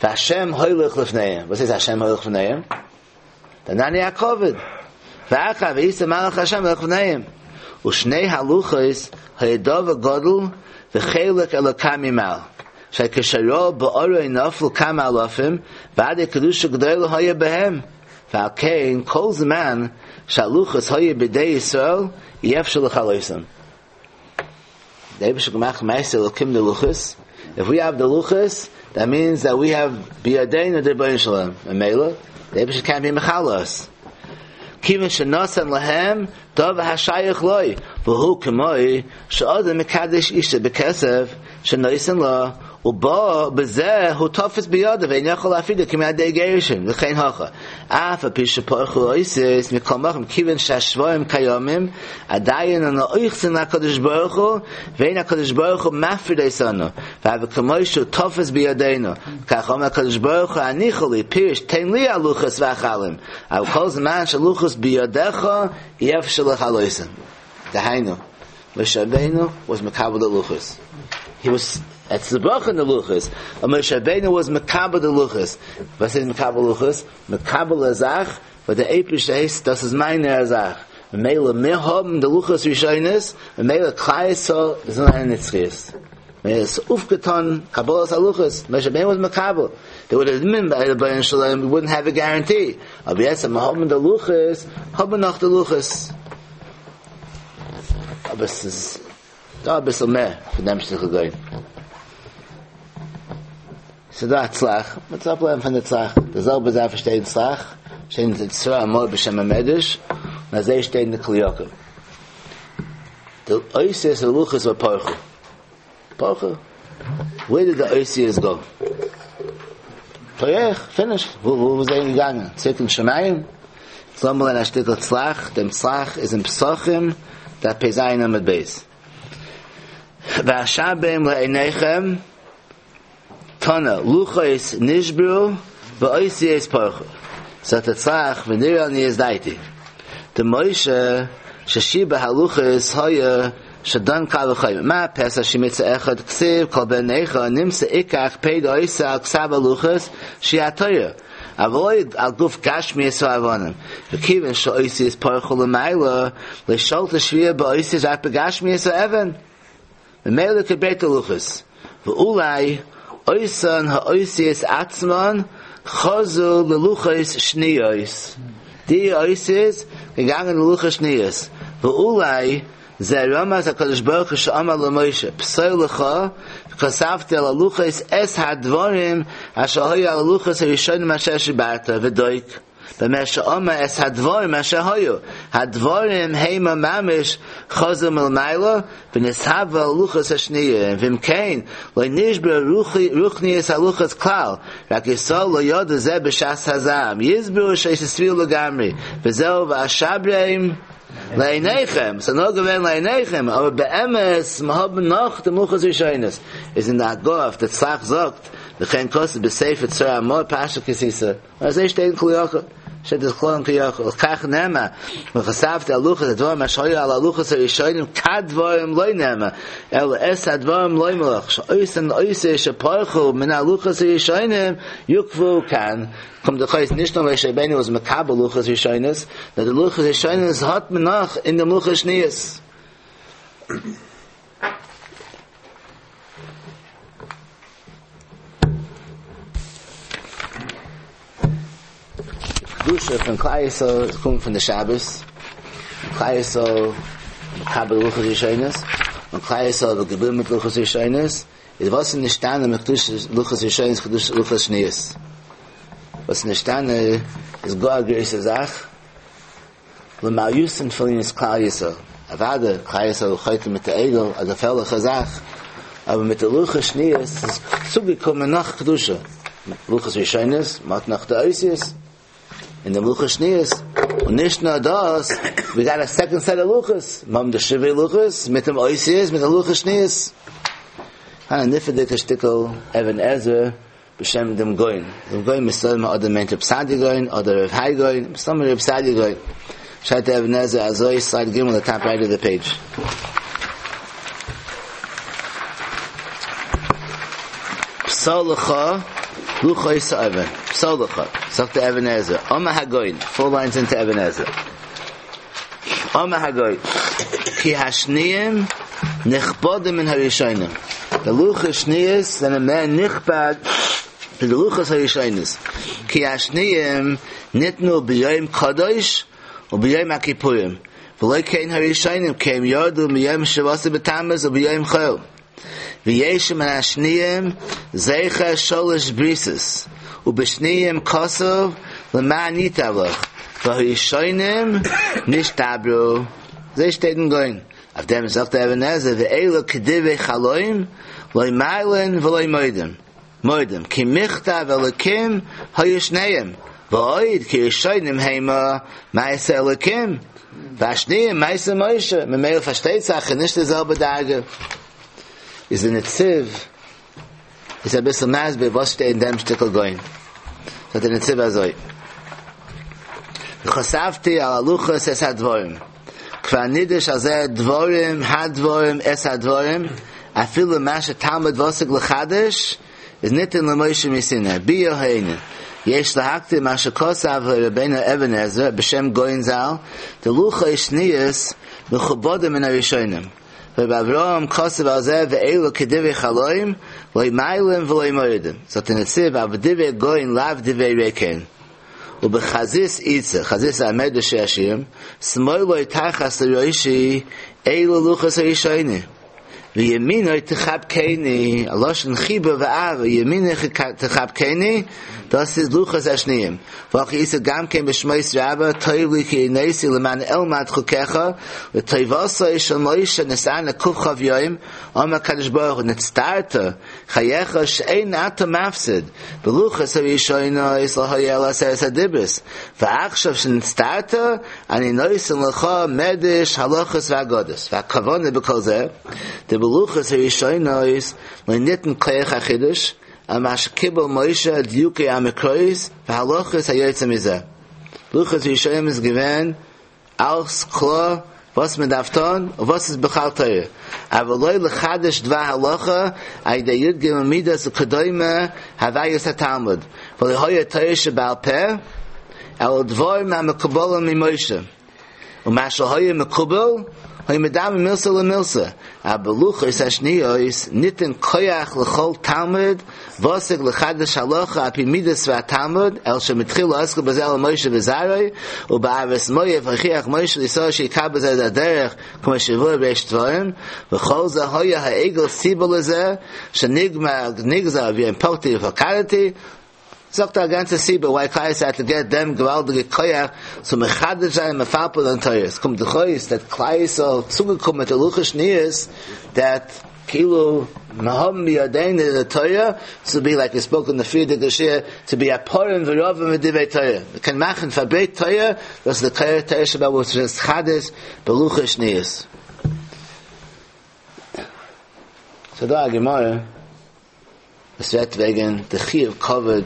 והשם הולך לפניהם. וואס איז השם הולך לפניהם? די ענני הכבוד. ואחר ויסע מלאך השם הולך לפניהם. ושני הלוחות היו דבר גדול וחלק אלוקה ממעל. שכשראו בארון נפלו כמה אלפים ועד קדושה גדולה היה בהם. ועל כן כל זמן שהלוחות היו בידי ישראל אי אפשר לכלותם. דער אייבערשטער געמאכט מעשה אלוקים די לוחות. If we have the לוחות, that means that we have בידינו די רבונו של עולם. ממילא, דער אייבערשטער can't be מכלה us. כיוון שנתן להם דבר השייך לו, והוא כמו שאדם מקדש אישה בכסף שנותן לה, ובא בזה הוא תופס בידו ואין יכול להפרידה כי מידי גירושין, וכן הכא. אף על פי שפרחו האותיות מכל מקום כיוון שהשברים קיימים, עדיין אנו אוחזין להקדוש ברוך הוא, ואין הקדוש ברוך הוא מפריד אותנו, והוי כמו שהוא תופס בידינו. כך אומר הקדוש ברוך הוא הניחה לי, פירוש תן לי הלוחות ואכלם, אבל כל זמן שהלוחות בידיך אי אפשר לכלותם. דהיינו, משה רבינו was מקבל the לוחות. He was at the in the לוחות. משה רבינו was מקבל the לוחות. וואס איז מקבל לוחות? מקבל א זאך, וואס דער אייבערשטער הייסט, דאס איז מיינע זאך. ממילא מיר האבן די לוחות ראשונות, ממילא כלל ישראל איז זיינען נצחיות. מיר איז אויפגעטאן קבלת הלוחות, משה רבינו was מקבל. They would have been by the רבונו של עולם, we wouldn't have a guarantee. אבער יעצט מיר האבן די לוחות, האבן נאך די לוחות. אבער עס איז דא אביסל מער פון דעם שטיקל גוי. ס'איז דא א צל"ח, מ'וועט אפלערנען פון די צל"ח, די זעלבע זאך וואס שטייט אין צל"ח, שטייט אין צרור המאור בשם המדרש, און אזוי שטייט אין די כלי יקר. די אותיות הלוחות ופרחו. פרחו. Where did the אותיות go? פורח, finished. וואו וואו זענען געגאנגען? צוריק אין שמים? לאמיר לערנען א שטיקל צל"ח, דעם צל"ח איז אין פסחים, דף פ"ז עמוד ב'. ואשברם לעיניכם, תנא, לוחות נשברו ואותיות פרחו. זאגט דער צל"ח, ונראה לעניות דעתי. דמשה ששיבר הלוחות היה שדן קל וחומר. מה פסח שהיא מצוה אחד כתיב כל בן נכר נמצא יקח פיידא עושה על כתב הלוחות שהיא התורה. אבל לא על גוף גשמיות האבנים. וכיוון שהאותיות פרחו למעלה, לא שלטה שבירה באותיות רק בגשמיות האבן. ממילא כבית הלוחות. ואולי אותן האותיות עצמן חזרו ללוחות שניות. די אותיות געגאנגען ללוחות שניות. ואולי זה רמז הקדוש ברוך הוא שאמר למשה פסול לך וכתבתי על הלוחות את הדברים אשר היו על הלוחות הראשונים אשר שיברת ודוק במה שאמר את הדברים אשר היו הדברים המה ממש חזרו מלמעלה ונתהוו הלוחות השניים ואם כן לא נשברו רוחניות הלוחות כלל רק ישראל לא ידעו זה בשעת הזעם יסברו שהיתה שבירה לגמרי וזהו ואשברם לעיניכם, ס'איז נאר געווען לעיניכם, אבער באמת מיר האבן נאך די לוחות ראשונות, איז אין די הגהה אויף די צל"ח זאגט, וכן כתוב בספר צרור המאור פרשת כי תשא, און אזוי שטייט אין כלי יקר, שטייט דאס קלאר אין כלי יקר, ולכך נאמר, וכתבתי על הלוחות הדברים אשר היו על הלוחות הראשונים כדברים לא נאמר, אלא את הדברים לומר לך, שאותן אותיות שפרחו מן הלוחות הראשונים יוקבעו כאן, קומט דאך אויס נישט נאר משה רבינו איז מקבל לוחות ראשונות, נאר די לוחות ראשונות האט מען נאך אין די לוחות שניות. קדושה פון כלל ישראל קומט פון די שבת, כלל ישראל מקבל לוחות ראשונות, און כלל ישראל איז געבליבן מיט לוחות ראשונות, איז וואס איז נשתנה מקדושת לוחות ראשונות קדושת לוחות שניות? וואס איז נשתנה איז גאר א גרויסע זאך, למעליותא פון ענין כלל ישראל, אוודאי כלל ישראל חוטא מיט די עגל, א געפערליכע זאך, אבער מיט די לוחות שניות איז צוגעקומען נאך קדושה, לוחות ראשונות, מ'האט נאך די אותיות. אין די לוחות שניות, און נישט נאר דאס, ווי גאט א סעקאנד סעט אוו לוחות, מיר האבן די שברי לוחות מיט דעם אותיות מיט די לוחות שניות. א נפלא'דיגע שטיקל אבן עזרא בשם דעם גאון, דעם גאון מסתמא אדער מיינט רב סעדיה גאון אדער רב האי גאון, מסתמא רב סעדיה גאון. שרייבט דער אבן עזרא אזוי, סלייד ג' די טאפ רייט אוו די פעידזש. פסל לך לוחות האבן, פסל לך, זאגט דער אבן עזרא, אמר הגאון, פאר ליינס אינטו אבן עזרא, אמר הגאון, כי השניים נכבדים מן הראשונים, די לוחות שניות זענען מער נכבד פון די לוחות הראשונות, כי השניים ניתנו ביום קדוש וביום הכיפורים, ולא כן הראשונים כי הם ירדו מיום שבעה עשר בתמוז וביום חול. ויש מן השניים זכר שלש בריתות, ובשניים כתוב למען ייטב לך, והראשונים נשתברו. אזוי שטייט אין גאון. אויף דעם זאגט דער אבן עזרא ואלו כדברי חלום לא מעלין ולא מורידים, מורידים, כי מכתב אלוקים היו שניהם, ועוד כי ראשונים המה מעשה אלוקים, והשניים מעשה משה, ממילא פארשטייט זיך איז נישט די זעלבע דרגה. איז די נציב איז אביסל מסביר וואס שטייט אין דעם שטיקל גאון. זאגט דער נציב אזוי, וכתבתי על הלוחות את הדברים, כבר נדרש על זה דברים הדברים את הדברים, אפילו מה שתלמיד ותיק לחדש איז ניתן למשה מסיני, ביאור הענין, יש להקדים מה שכתב רבינו אבן עזרא בשם גאון ז"ל, דלוחות שניות מכובדים מן הראשונים, ורבי אברהם כתב על זה ואלו כדברי חלום לא מעלים ולא מורידים, זאגט דער נציב אבל דברי גאון לאו דברי ריקן. ובחזית איתא, חזית איז א מדרש שיר השירים, שמאלו תחת לראשי אלו לוחות הראשונים. וימינו תחבקני, א לשון חיבה ואהבה, ימינו תחבקני, דאס איז לוחות השניים, והכי איתא גם כן בשמות רבה, טוב לי כי עניתי למען אלמד חוקיך, לטובתו של משה נתענה קכ"ו יום, אמר הקדוש ברוך הוא נצטרת חייך שאין אתה מפסיד, בלוחות הראשונות לא היה אלא עשרת הדיברות, ועכשיו שנצטרת אני נותן לך מדרש הלכות ואגדות, והכוונה בכל זה, דבלוחות הראשונות לא ניתן כח החידוש, על מה שקיבל משה דיוקי המקראות והלכות היוצא מזה. לוחות ראשונים איז געווען אלס קלאר וואס מען דארף טון און וואס איז בכלל תורה, אבל לא לחדש דבר הלכה על ידי י"ג מידות וכדומה הוויות התלמוד, ולא היה תורה שבעל פה, אלא דברים המקובלים ממשה. ומה שהיה מקובל, היה מדבר מילתא למילתא, אבל בלוחות השניות ניתן כח לכל תלמיד ותיק לחדש הלכה על פי מידת התלמוד, אלא שמתחילה עסקו בזה אלא משה וזרעו, ובערבות מואב הוכיח משה לישראל שיקבע בזה את הדרך כמו שיבואר בריש דברים, וכל זה היה העגל סיבה לזה שנגזר וביום פקדי ופקדתי, זאגט א גאנצע סיבה why כלל ישראל האט טו געט דעם געוואלדיגע כח צו מחדש זיין מפלפל אין תורה, עס קומט דאך אויס דעט כלל ישראל האט צוגעקומען מיט די לוחות שניות דעט כאילו מיר האבן בידינו די תורה צו בי לייק ווי ספאוק אין די פריערדיגע שיעור צו בי א פרים ורבים בדברי תורה, מען קען מאכן פארברייט תורה, דאס איז די כח תורה שבעל פה וואס איז נתחדש בלוחות שניות. ס'דא א גמרא. עס רעדט וועגן די חיוב כבוד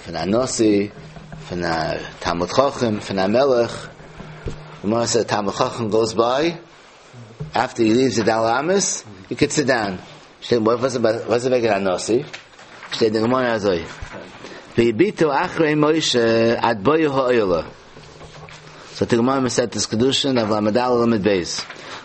פון א נשיא, פון א תלמיד חכם, פון א מלך, גמרא סעז א תלמיד חכם גאוס ביי, אפטער הי ליווס די ד' אמות, הי קען סיט דאון, שטייט וואס איז וועגן א נשיא? שטייט אין גמרא אזוי, והביטו אחרי משה עד בואו האוהלה. זאגט די גמרא מסכת קידושין דף ל"ד עמוד ב',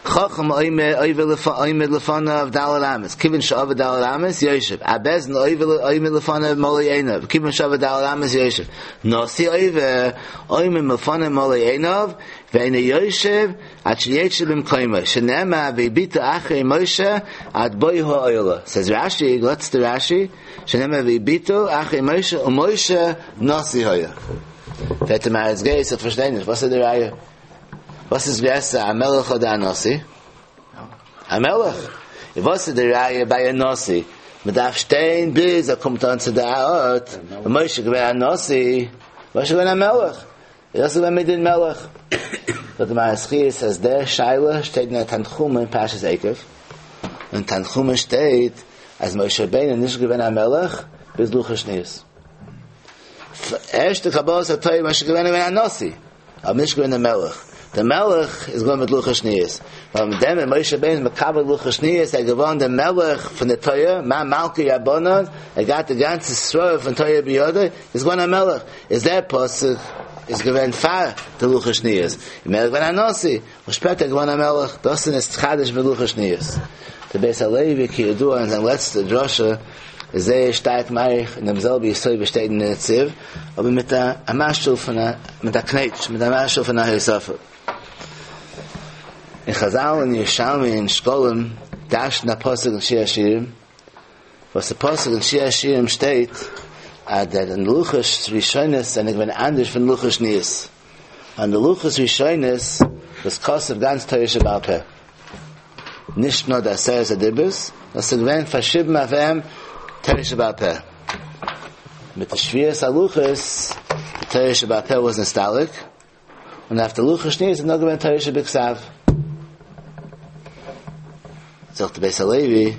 חכם עומד לפניו ד' אמות, כיוון שעבר ד' אמות יושב, אב בית דין עומד לפניו מלא עיניו, כיוון שעבר ד' אמות יושב, נשיא עובר עומד לפניו מלא עיניו, ואינו יושב עד שישב במקומו, שנאמר והביטו אחרי משה עד בואו האוהלה. סעז רש"י, וואטס די רש"י, שנאמר והביטו אחרי משה ומשה נשיא היה. פרעגט דער מהר"ץ גייס, איך פארשטיי נישט, וואס איז די ראיה? וואס איז גרעסער, א מלך אדער א נשיא? א מלך. און וואס איז די ראיה ביי א נשיא? מען דארף שטיין ביז ער קומט אן צו די ארט, און משה איז געווען א נשיא, משה איז געווען א מלך, איז דאס געווען מדין מלך. זאגט דער מהר"ץ חיות אז דער שאלה שטייט אין א תנחומא אין פרשת עקב, אין תנחומא שטייט אז משה רבינו איז נישט געווען א מלך ביז לוחות שניות. ערשטע קבלת התורה משה געווען געווען א נשיא, אבער נישט געווען דער מלך. דער מלך איז געווארן מיט לוחות שניות. ווייל מיט דעם ווען משה רבינו איז מקבל לוחות שניות, ער איז געווארן דער מלך פון די תורה, מאן מלכי רבנן, ער האט געהאט די גאנצע שררה פון תורה בידו, איז געווארן א מלך. איז דער פסוק איז געווען פאר די לוחות שניות. און ער איז געווען א נשיא, און שפעטער געווארן א מלך. דאס איז נתחדש בלוחות שניות. דער בית הלוי כידוע אין זיין לעצטע דרשה, איז זייער שטארק מאריך אין דעם זעלבע יסוד וואס שטייט אין נציב, אבער מיט א א משהו פון א מיט א קנייטש, מיט א משהו פון א הוספה. אין חזל אין ירושלמי אין שקלים דרש'נט א פסוק אין שיר השירים, וואס די פסוק אין שיר השירים שטייט אז די לוחות ראשונות זענען געווען אנדערש פון לוחות שניות, און די לוחות ראשונות וואס כתוב גאנץ תורה שבעל פה. נישט נאר די עשרת הדיברות, נאר ס'איז געווען פארשריבן אויף אים תורה שבעל פה. מיט די שבירת הלוחות, די תורה שבעל פה וואס נסתלק, און אויף די לוחות שניות איז נאר געווען תורה שבכתב. זאגט די בית הלוי, אין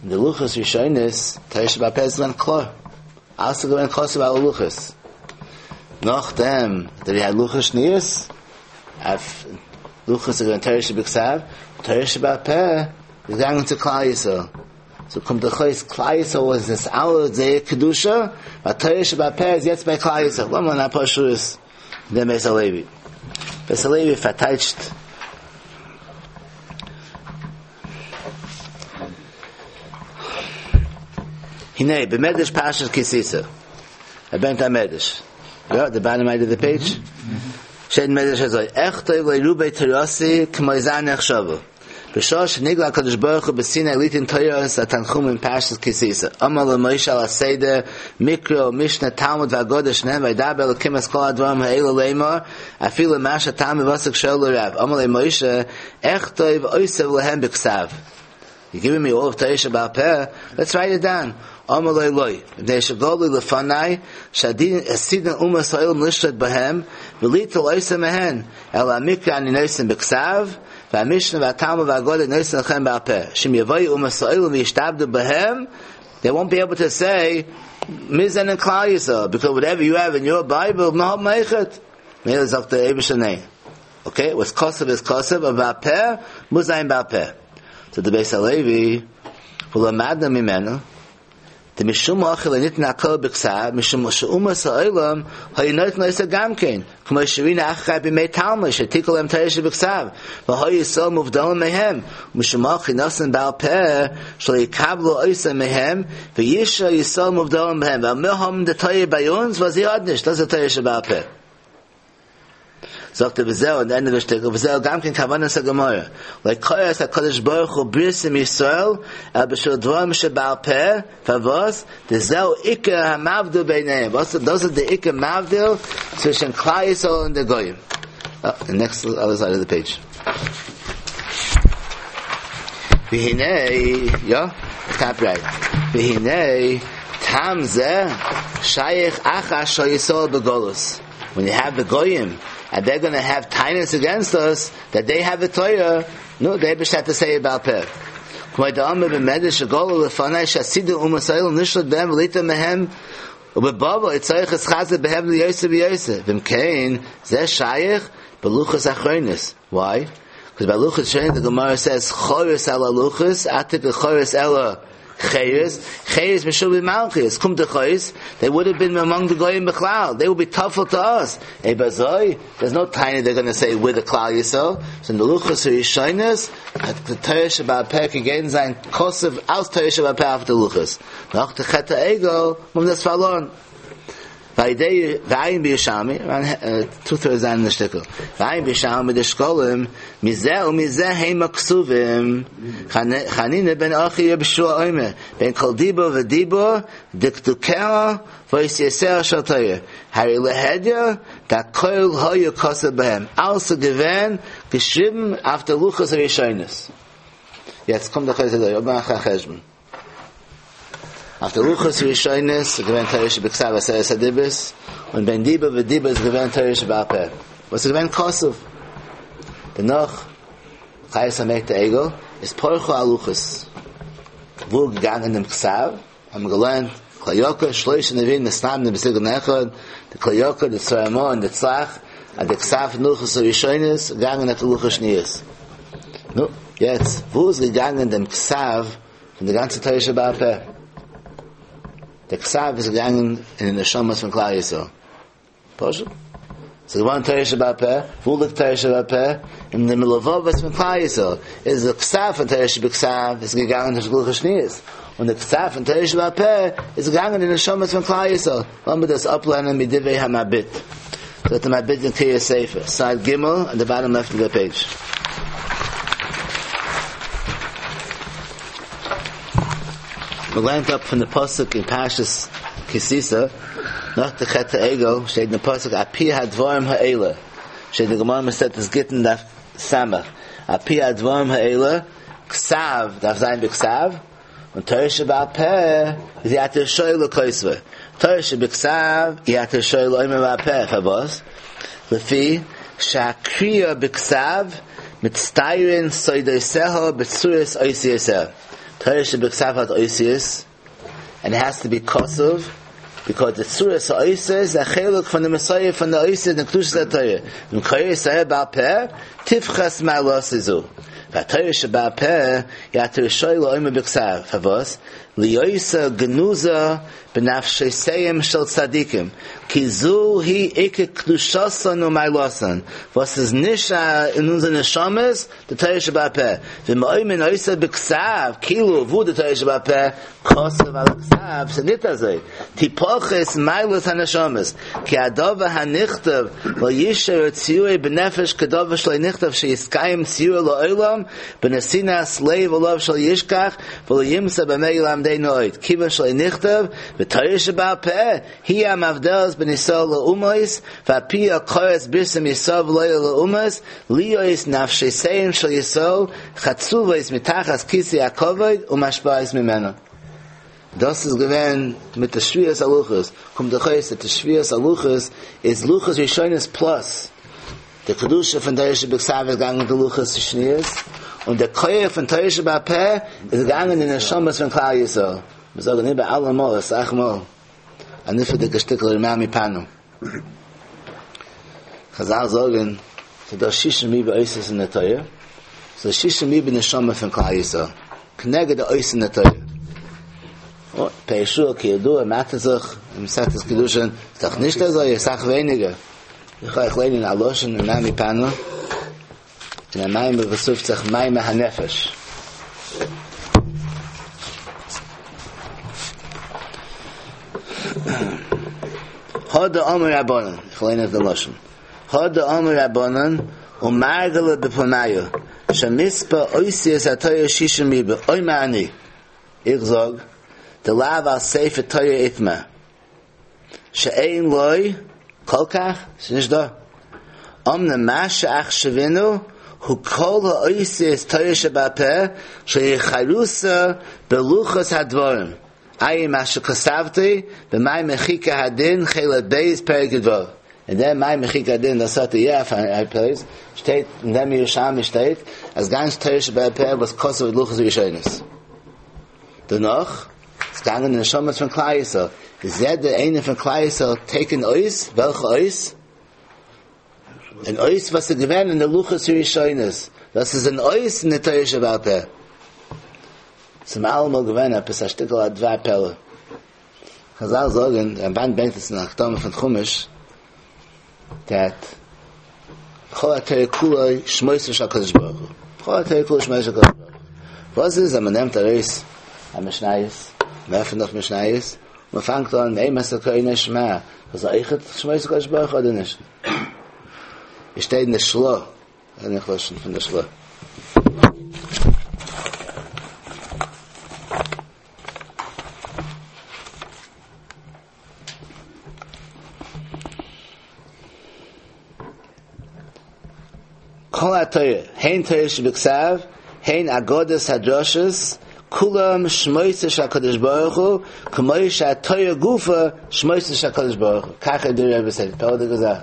די לוחות ראשונות, תורה שבעל פה איז געווען קלאר, אלעס איז געווען כתוב על הלוחות. נאכדעם די לוחות שניות, אויף לוחות איז געווען תורה שבכתב, תורה שבעל פה איז געגאנגען צו כלל ישראל. סאו קומט דאך אויס כלל ישראל וואס נתעלה זייער קדושה, ווייל תורה שבעל פה איז יעצט ביי כלל ישראל. לאמיר לערנען אפאר שורות אין דעם בית הלוי. בית הלוי פארטייטשט הנה, במדרש פרשת כי תשא. ער ברענגט א מדרש. יא, די באטאם רייט אוו די פעידזש. שטייט אין מדרש אזוי, אכתוב לרבי תורתי כמו זן נחשבה. בשעה שנגלה הקדוש ברוך הוא בסיני ליתן תורת התנחומא אין פרשת כי תשא, אמר למשה על הסדר, מקרא ומשנה תלמוד ואגדה שנאמר וידבר אלקים את כל הדברים האלה לאמור, אפילו מה שהתלמיד הוותיק שואל לרב, אמר לו משה, אכתוב אותם להם בכתב. You're giving me all of תורה שבעל פה, let's write it down. אמר לו לא, מפני שגלוי לפני, שעתידין אומות העולם לשלוט בהם, וליטול אותם מהן, אלא המקרא אני נותן בכתב, והמשנה והתלמוד והאגדה נותן לכם בעל פה. שאם יבואו אומות העולם וישתעבדו בהם, they won't be able to say, מיר זענען כלל ישראל, because whatever you have in your Bible, מיר האבן אויכעט. מילא זאגט דער אייבערשטער ניין. Okay, what's כתוב איז כתוב, אבער בעל פה, מוז זיין בעל פה. זאגט דער בית הלוי, ולמדנו ממנו, דמשום הכי לא ניתן הכל בכתב, משום שאומות העולם היו נוטלין אותה גם כן, כמו שראינו אחר כך בימי תלמי, שהעתיקו להם תורה שבכתב, והיו ישראל מובדלים מהם, ומשום הכי נתן בעל פה, שלא יקבלו אותה מהם, וישארו ישראל מובדלים מהם, ווייל מיר האבן די תורה ביי אונז, וואס זיי האבן נישט, דאס איז תורה שבעל פה. זאגט ער וזהו אין ענדע שטיקל וזהו גם כן כוונת הגמרא לא כרת הקדוש ברוך הוא ברית עם ישראל אלא בשביל דברים שבעל פה פארוואס דזהו עיקר המבדיל ביניהם וואס דאס איז די עיקר מבדיל צווישן כלל ישראל און די גויים the next other side of the page והנה יא top right והנה טעם זה שייך אחר שישראל בגלות When you have the goyim, and they're going to have tainas against us, that they have the Torah, no, they just have to say בעל פה. כמו דאמר במדרש שגלוי לפני שעתידין אומות העולם לשלוט בהם וליטול מהם ובבבל יצטרך להתחזק בהם יותר ויותר. ואם כן, זה שייך בלוחות אחרונות. Why? Because by לוחות ראשונות the Gemara says חרות על הלוחות, אל תקרי חרות אלא חרס, חרס משועבד מלכיות, קומט דאך אויס, they would have been among the goyim בכלל, they would be טפל to us. אויב אזוי, there's no טענה they're going to say we're the כלל ישראל. So in the לוחות הראשונות, the תורה שבעל פה קען זיין כתוב אלס תורה שבעל פה אויף די לוחות. נאך די חטא העגל, האבן דאס פארלוירן. ועיין בירושלמי, טו טערדס אין די שטיקל, ועיין בירושלמי דשקלים, מזה ומזה המה כתובים, חנינא בן אחי רבי יהושע אומר, בין כל דיבור ודיבור, דקדוקיה ואותיותיה של תורה, הרי להדיא, דהכל היה כתוב בהם, אלס איז געווען געשריבן אויף די לוחות הראשונות. יעצט קומט דער חוזה דא, מאך א חשבון. אויף די לוחות ראשונות איז געווען תורה שבכתב עשרת הדיברות, און בין דיבור ודיבור איז געווען תורה שבעל פה, וואס איז געווען כתוב. דערנאך, חיות המעט העגל, איז פרחו הלוחות. וואו געגאנגען דעם כתב, האבן מיר געלערנט, כלי יקר, שלושה נביאים מתנבאים בסגנון אחד, די כלי יקר, די צרור המור און די צל"ח, אז די כתב פון לוחות הראשונות איז געגאנגען אויף די לוחות שניות. נו, יעצט, וואו איז געגאנגען דעם כתב פון די גאנצע תורה שבעל פה. דער כתב איז געגאנגען אין די נשמות פון כלל ישראל. פשוט. ס'איז געווארן תורה שבעל פה, וואו ליגט תורה שבעל פה? אין די לבבות פון כלל ישראל. איז די כתב פון תורה שבכתב איז געגאנגען אין לוחות שניות. און די כתב פון תורה שבעל פה איז געגאנגען אין נשמות פון כלל ישראל. לאמיר דאס אפלערנען מדברי המבי"ט. זאגט דער מבי"ט אין קריית ספר, סייד ג' on the bottom left of the page. מ'לערנט אפ פון די פסוק אין פרשת כי תשא, נאך די חטא העגל שטייט אין די פסוק על פי הדברים האלה, שטייט אין די גמרא מסכת גיטין דף ס', על פי הדברים האלה, כתב דארף זיין בכתב, און תורה שבעל פה איז אי אתה רשאי לכותבו. תורה שבכתב אי אתה רשאי לאומרה בעל פה, פארוואס? לפי שהקריאה בכתב מצטיירין סודותיה בצורת אותיותיה. תורה שבכתב האט אותיות, and it has to be כתוב, because the צורת האותיות איז א חלק פון די מסורה פון די אותיות און קדושת התורה. ואם קורא תורה בעל פה, תפחת מעלתה זו. והתורה שבעל פה, אי אתה רשאי לאומרה בכתב. פארוואס? להיותה גנוזה בנפשותיהם של צדיקים, כי זו היא עיקר קדושתן ומעלתן, וואס איז נשאר אין אונזער נשמות, די תורה שבעל פה, ואם אומרים אותה בכתב, כאילו וואו די תורה שבעל פה, כתוב על הכתב, ס'איז ניט אזוי, תפחת מעלת הנשמות, כי הדבר הנכתב לא ישאר ציורו בנפש כדבר שלא נכתב שיתקיים ציורו לעולם בנתינת לב עליו שלא ישכח ולא ימצא במה ילמדנו עוד כיוון שלא נכתב ותורה שבעל פה היא המבדלת בין ישראל לאומות ועל פיה כרת בריתם ישראל ולא לאומות להיות נפשותיהם של ישראל חצובות מתחת כיסא הכבוד ומשפיעות ממנו. דאס איז געווען מיט די שבירת הלוחות, קומט דאך אויס אז די שבירת הלוחות איז לוחות ראשונות פלאס די קדושה פון תורה שבכתב איז געגאנגען מיט די לוחות שניות, און די כח פון תורה שבעל פה איז געגאנגען אין די נשמות פון כלל ישראל. מיר זאגן איבער אלעמאל אסאך מאל א נפלא'דיגע שטיקל רמ"ע מפאנו. חזל זאגן ס'איז דא שישים ריבוא אותיות אין די תורה, ס'איז שישים ריבוא נשמה פון כלל ישראל, כנגד די אות אין די תורה. און פירשו כידוע מטשעט זיך אין מסכת קידושין, איז דאך נישט אזוי, אסאך ווייניגער. איך וועל אייך ליינען א לשון אין רמ"ע מפאנו, אין א מאמר וואס רופט זיך מאמר הנפש. הא דאמור רבנן, איך ליין אויף די לשון, הא דאמור רבנן ומרגלא בפומייהו, שמספר אותיות התורה שישים ריבוא, אומר אני, איך זאג, דלאו על ספר תורה איתמר, שאין לו כל כך, ס'איז נישט דא. אמנם מה שאחשבינהו הוא כל האותיות תורה שבעל פה שהיא חרותה בלוחות הדברים, עיין מה שכתבתי במאמר חוקי הדין חלק ב' פרק י"ו. אין דעם מאמר חוקי הדין דאס האט יא אויף א פלעיס שטייט אין דעם ירושלמי שטייט אז גאנץ תורה שבעל פה וואס כתוב בלוחות הראשונות. דערנאך איז געגאנגען די נשמות פון כלל ישראל, איז יעדער איינער פון כלל ישראל טעיקן אות, וועלכע אות? אן אות וואס איז געווען אין די לוחות הראשונות, דאס איז אן אות אין די תורה שבעל פה. ס'איז אלעמאל געווען עפעס א שטיקל א דבר פלא. חזל זאגן, דער רמבן ברענגט עס אין הקדמה פון חומש, דעט כל התורה כולה שמותיו של הקדוש ברוך הוא, כל התורה כולה שמותיו של הקדוש ברוך הוא. וואס איז אז מען נעמט ארויס א משניות, מען עפענט אויף משניות, מען פאנגט אן מאימתי קוראין שמע, דאס איז אויכעט שמות הקדוש ברוך הוא אדער נישט? עס שטייט אין די של"ה, אין איך לשון פון די של"ה. כל התורה, הן תורה שבכתב, הן אגדות הדרשות, כולם שמותיו של הקדוש ברוך הוא, כמו שהתורה גופה שמותיו של הקדוש ברוך הוא. כך דברי רבותינו, פלא'דיגע זאך.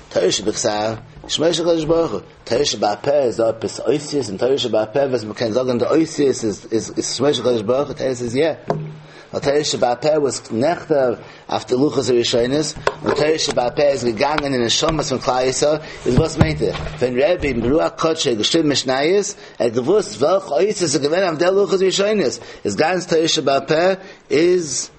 תורה שבכתב, שמות של הקדוש ברוך הוא. תורה שבעל פה איז דא עפעס אותיות אין תורה שבעל פה וואס מ'קען זאגן די אותיות איז איז שמות של הקדוש ברוך הוא, תורה איז יא. ווייל תורה שבעל פה וואס נכתב אויף די לוחות הראשונות, און תורה שבעל פה איז געגאנגען אין נשמות פון כלל ישראל, איז וואס מיינט ער? ווען רבי ברוח קדשו האט געשריבן משניות, ער האט געוואוסט וועלכע אותיות איז געווען אויף די לוחות הראשונות, איז גאנץ תורה שבעל פה איז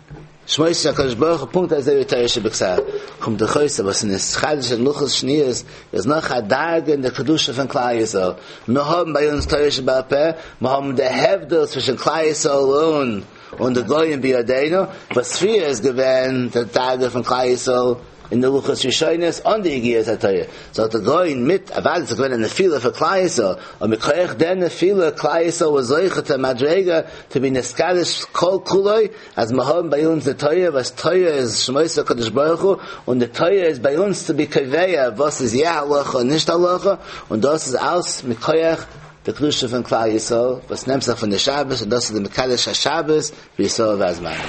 שמות של הקדוש ברוך הוא פונקט אזוי ווי תורה שבכתב. קומט דאך אויס אז וואס איז נתחדש אין לוחות שניות איז נאך א דרגה אין די קדושה פון כלל ישראל. מיר האבן ביי אונז תורה שבעל פה, מיר האבן די הבדל צווישן כלל ישראל און און די גויים בידינו, וואס פריער איז געווען די דרגה פון כלל ישראל אין די לוחות ראשונות אן די יגיעת התורה, זאגט דער גאון מיט אוודאי ס'איז געווען א נפילה פאר כלל ישראל, און מכח דער נפילה כלל ישראל וואס זוכה צו א מדריגה to be נתקדש כל כולו, אז מיר האבן ביי אונז די תורה וואס תורה איז שמות הקדוש ברוך הוא, און די תורה איז ביי אונז to be קובע וואס איז יא הלכה און נישט הלכה, און דאס איז אלס מכח די קדושה פון כלל ישראל וואס נעמט זיך פון די שבת און דאס איז די מקדש השבת וישראל והזמנים.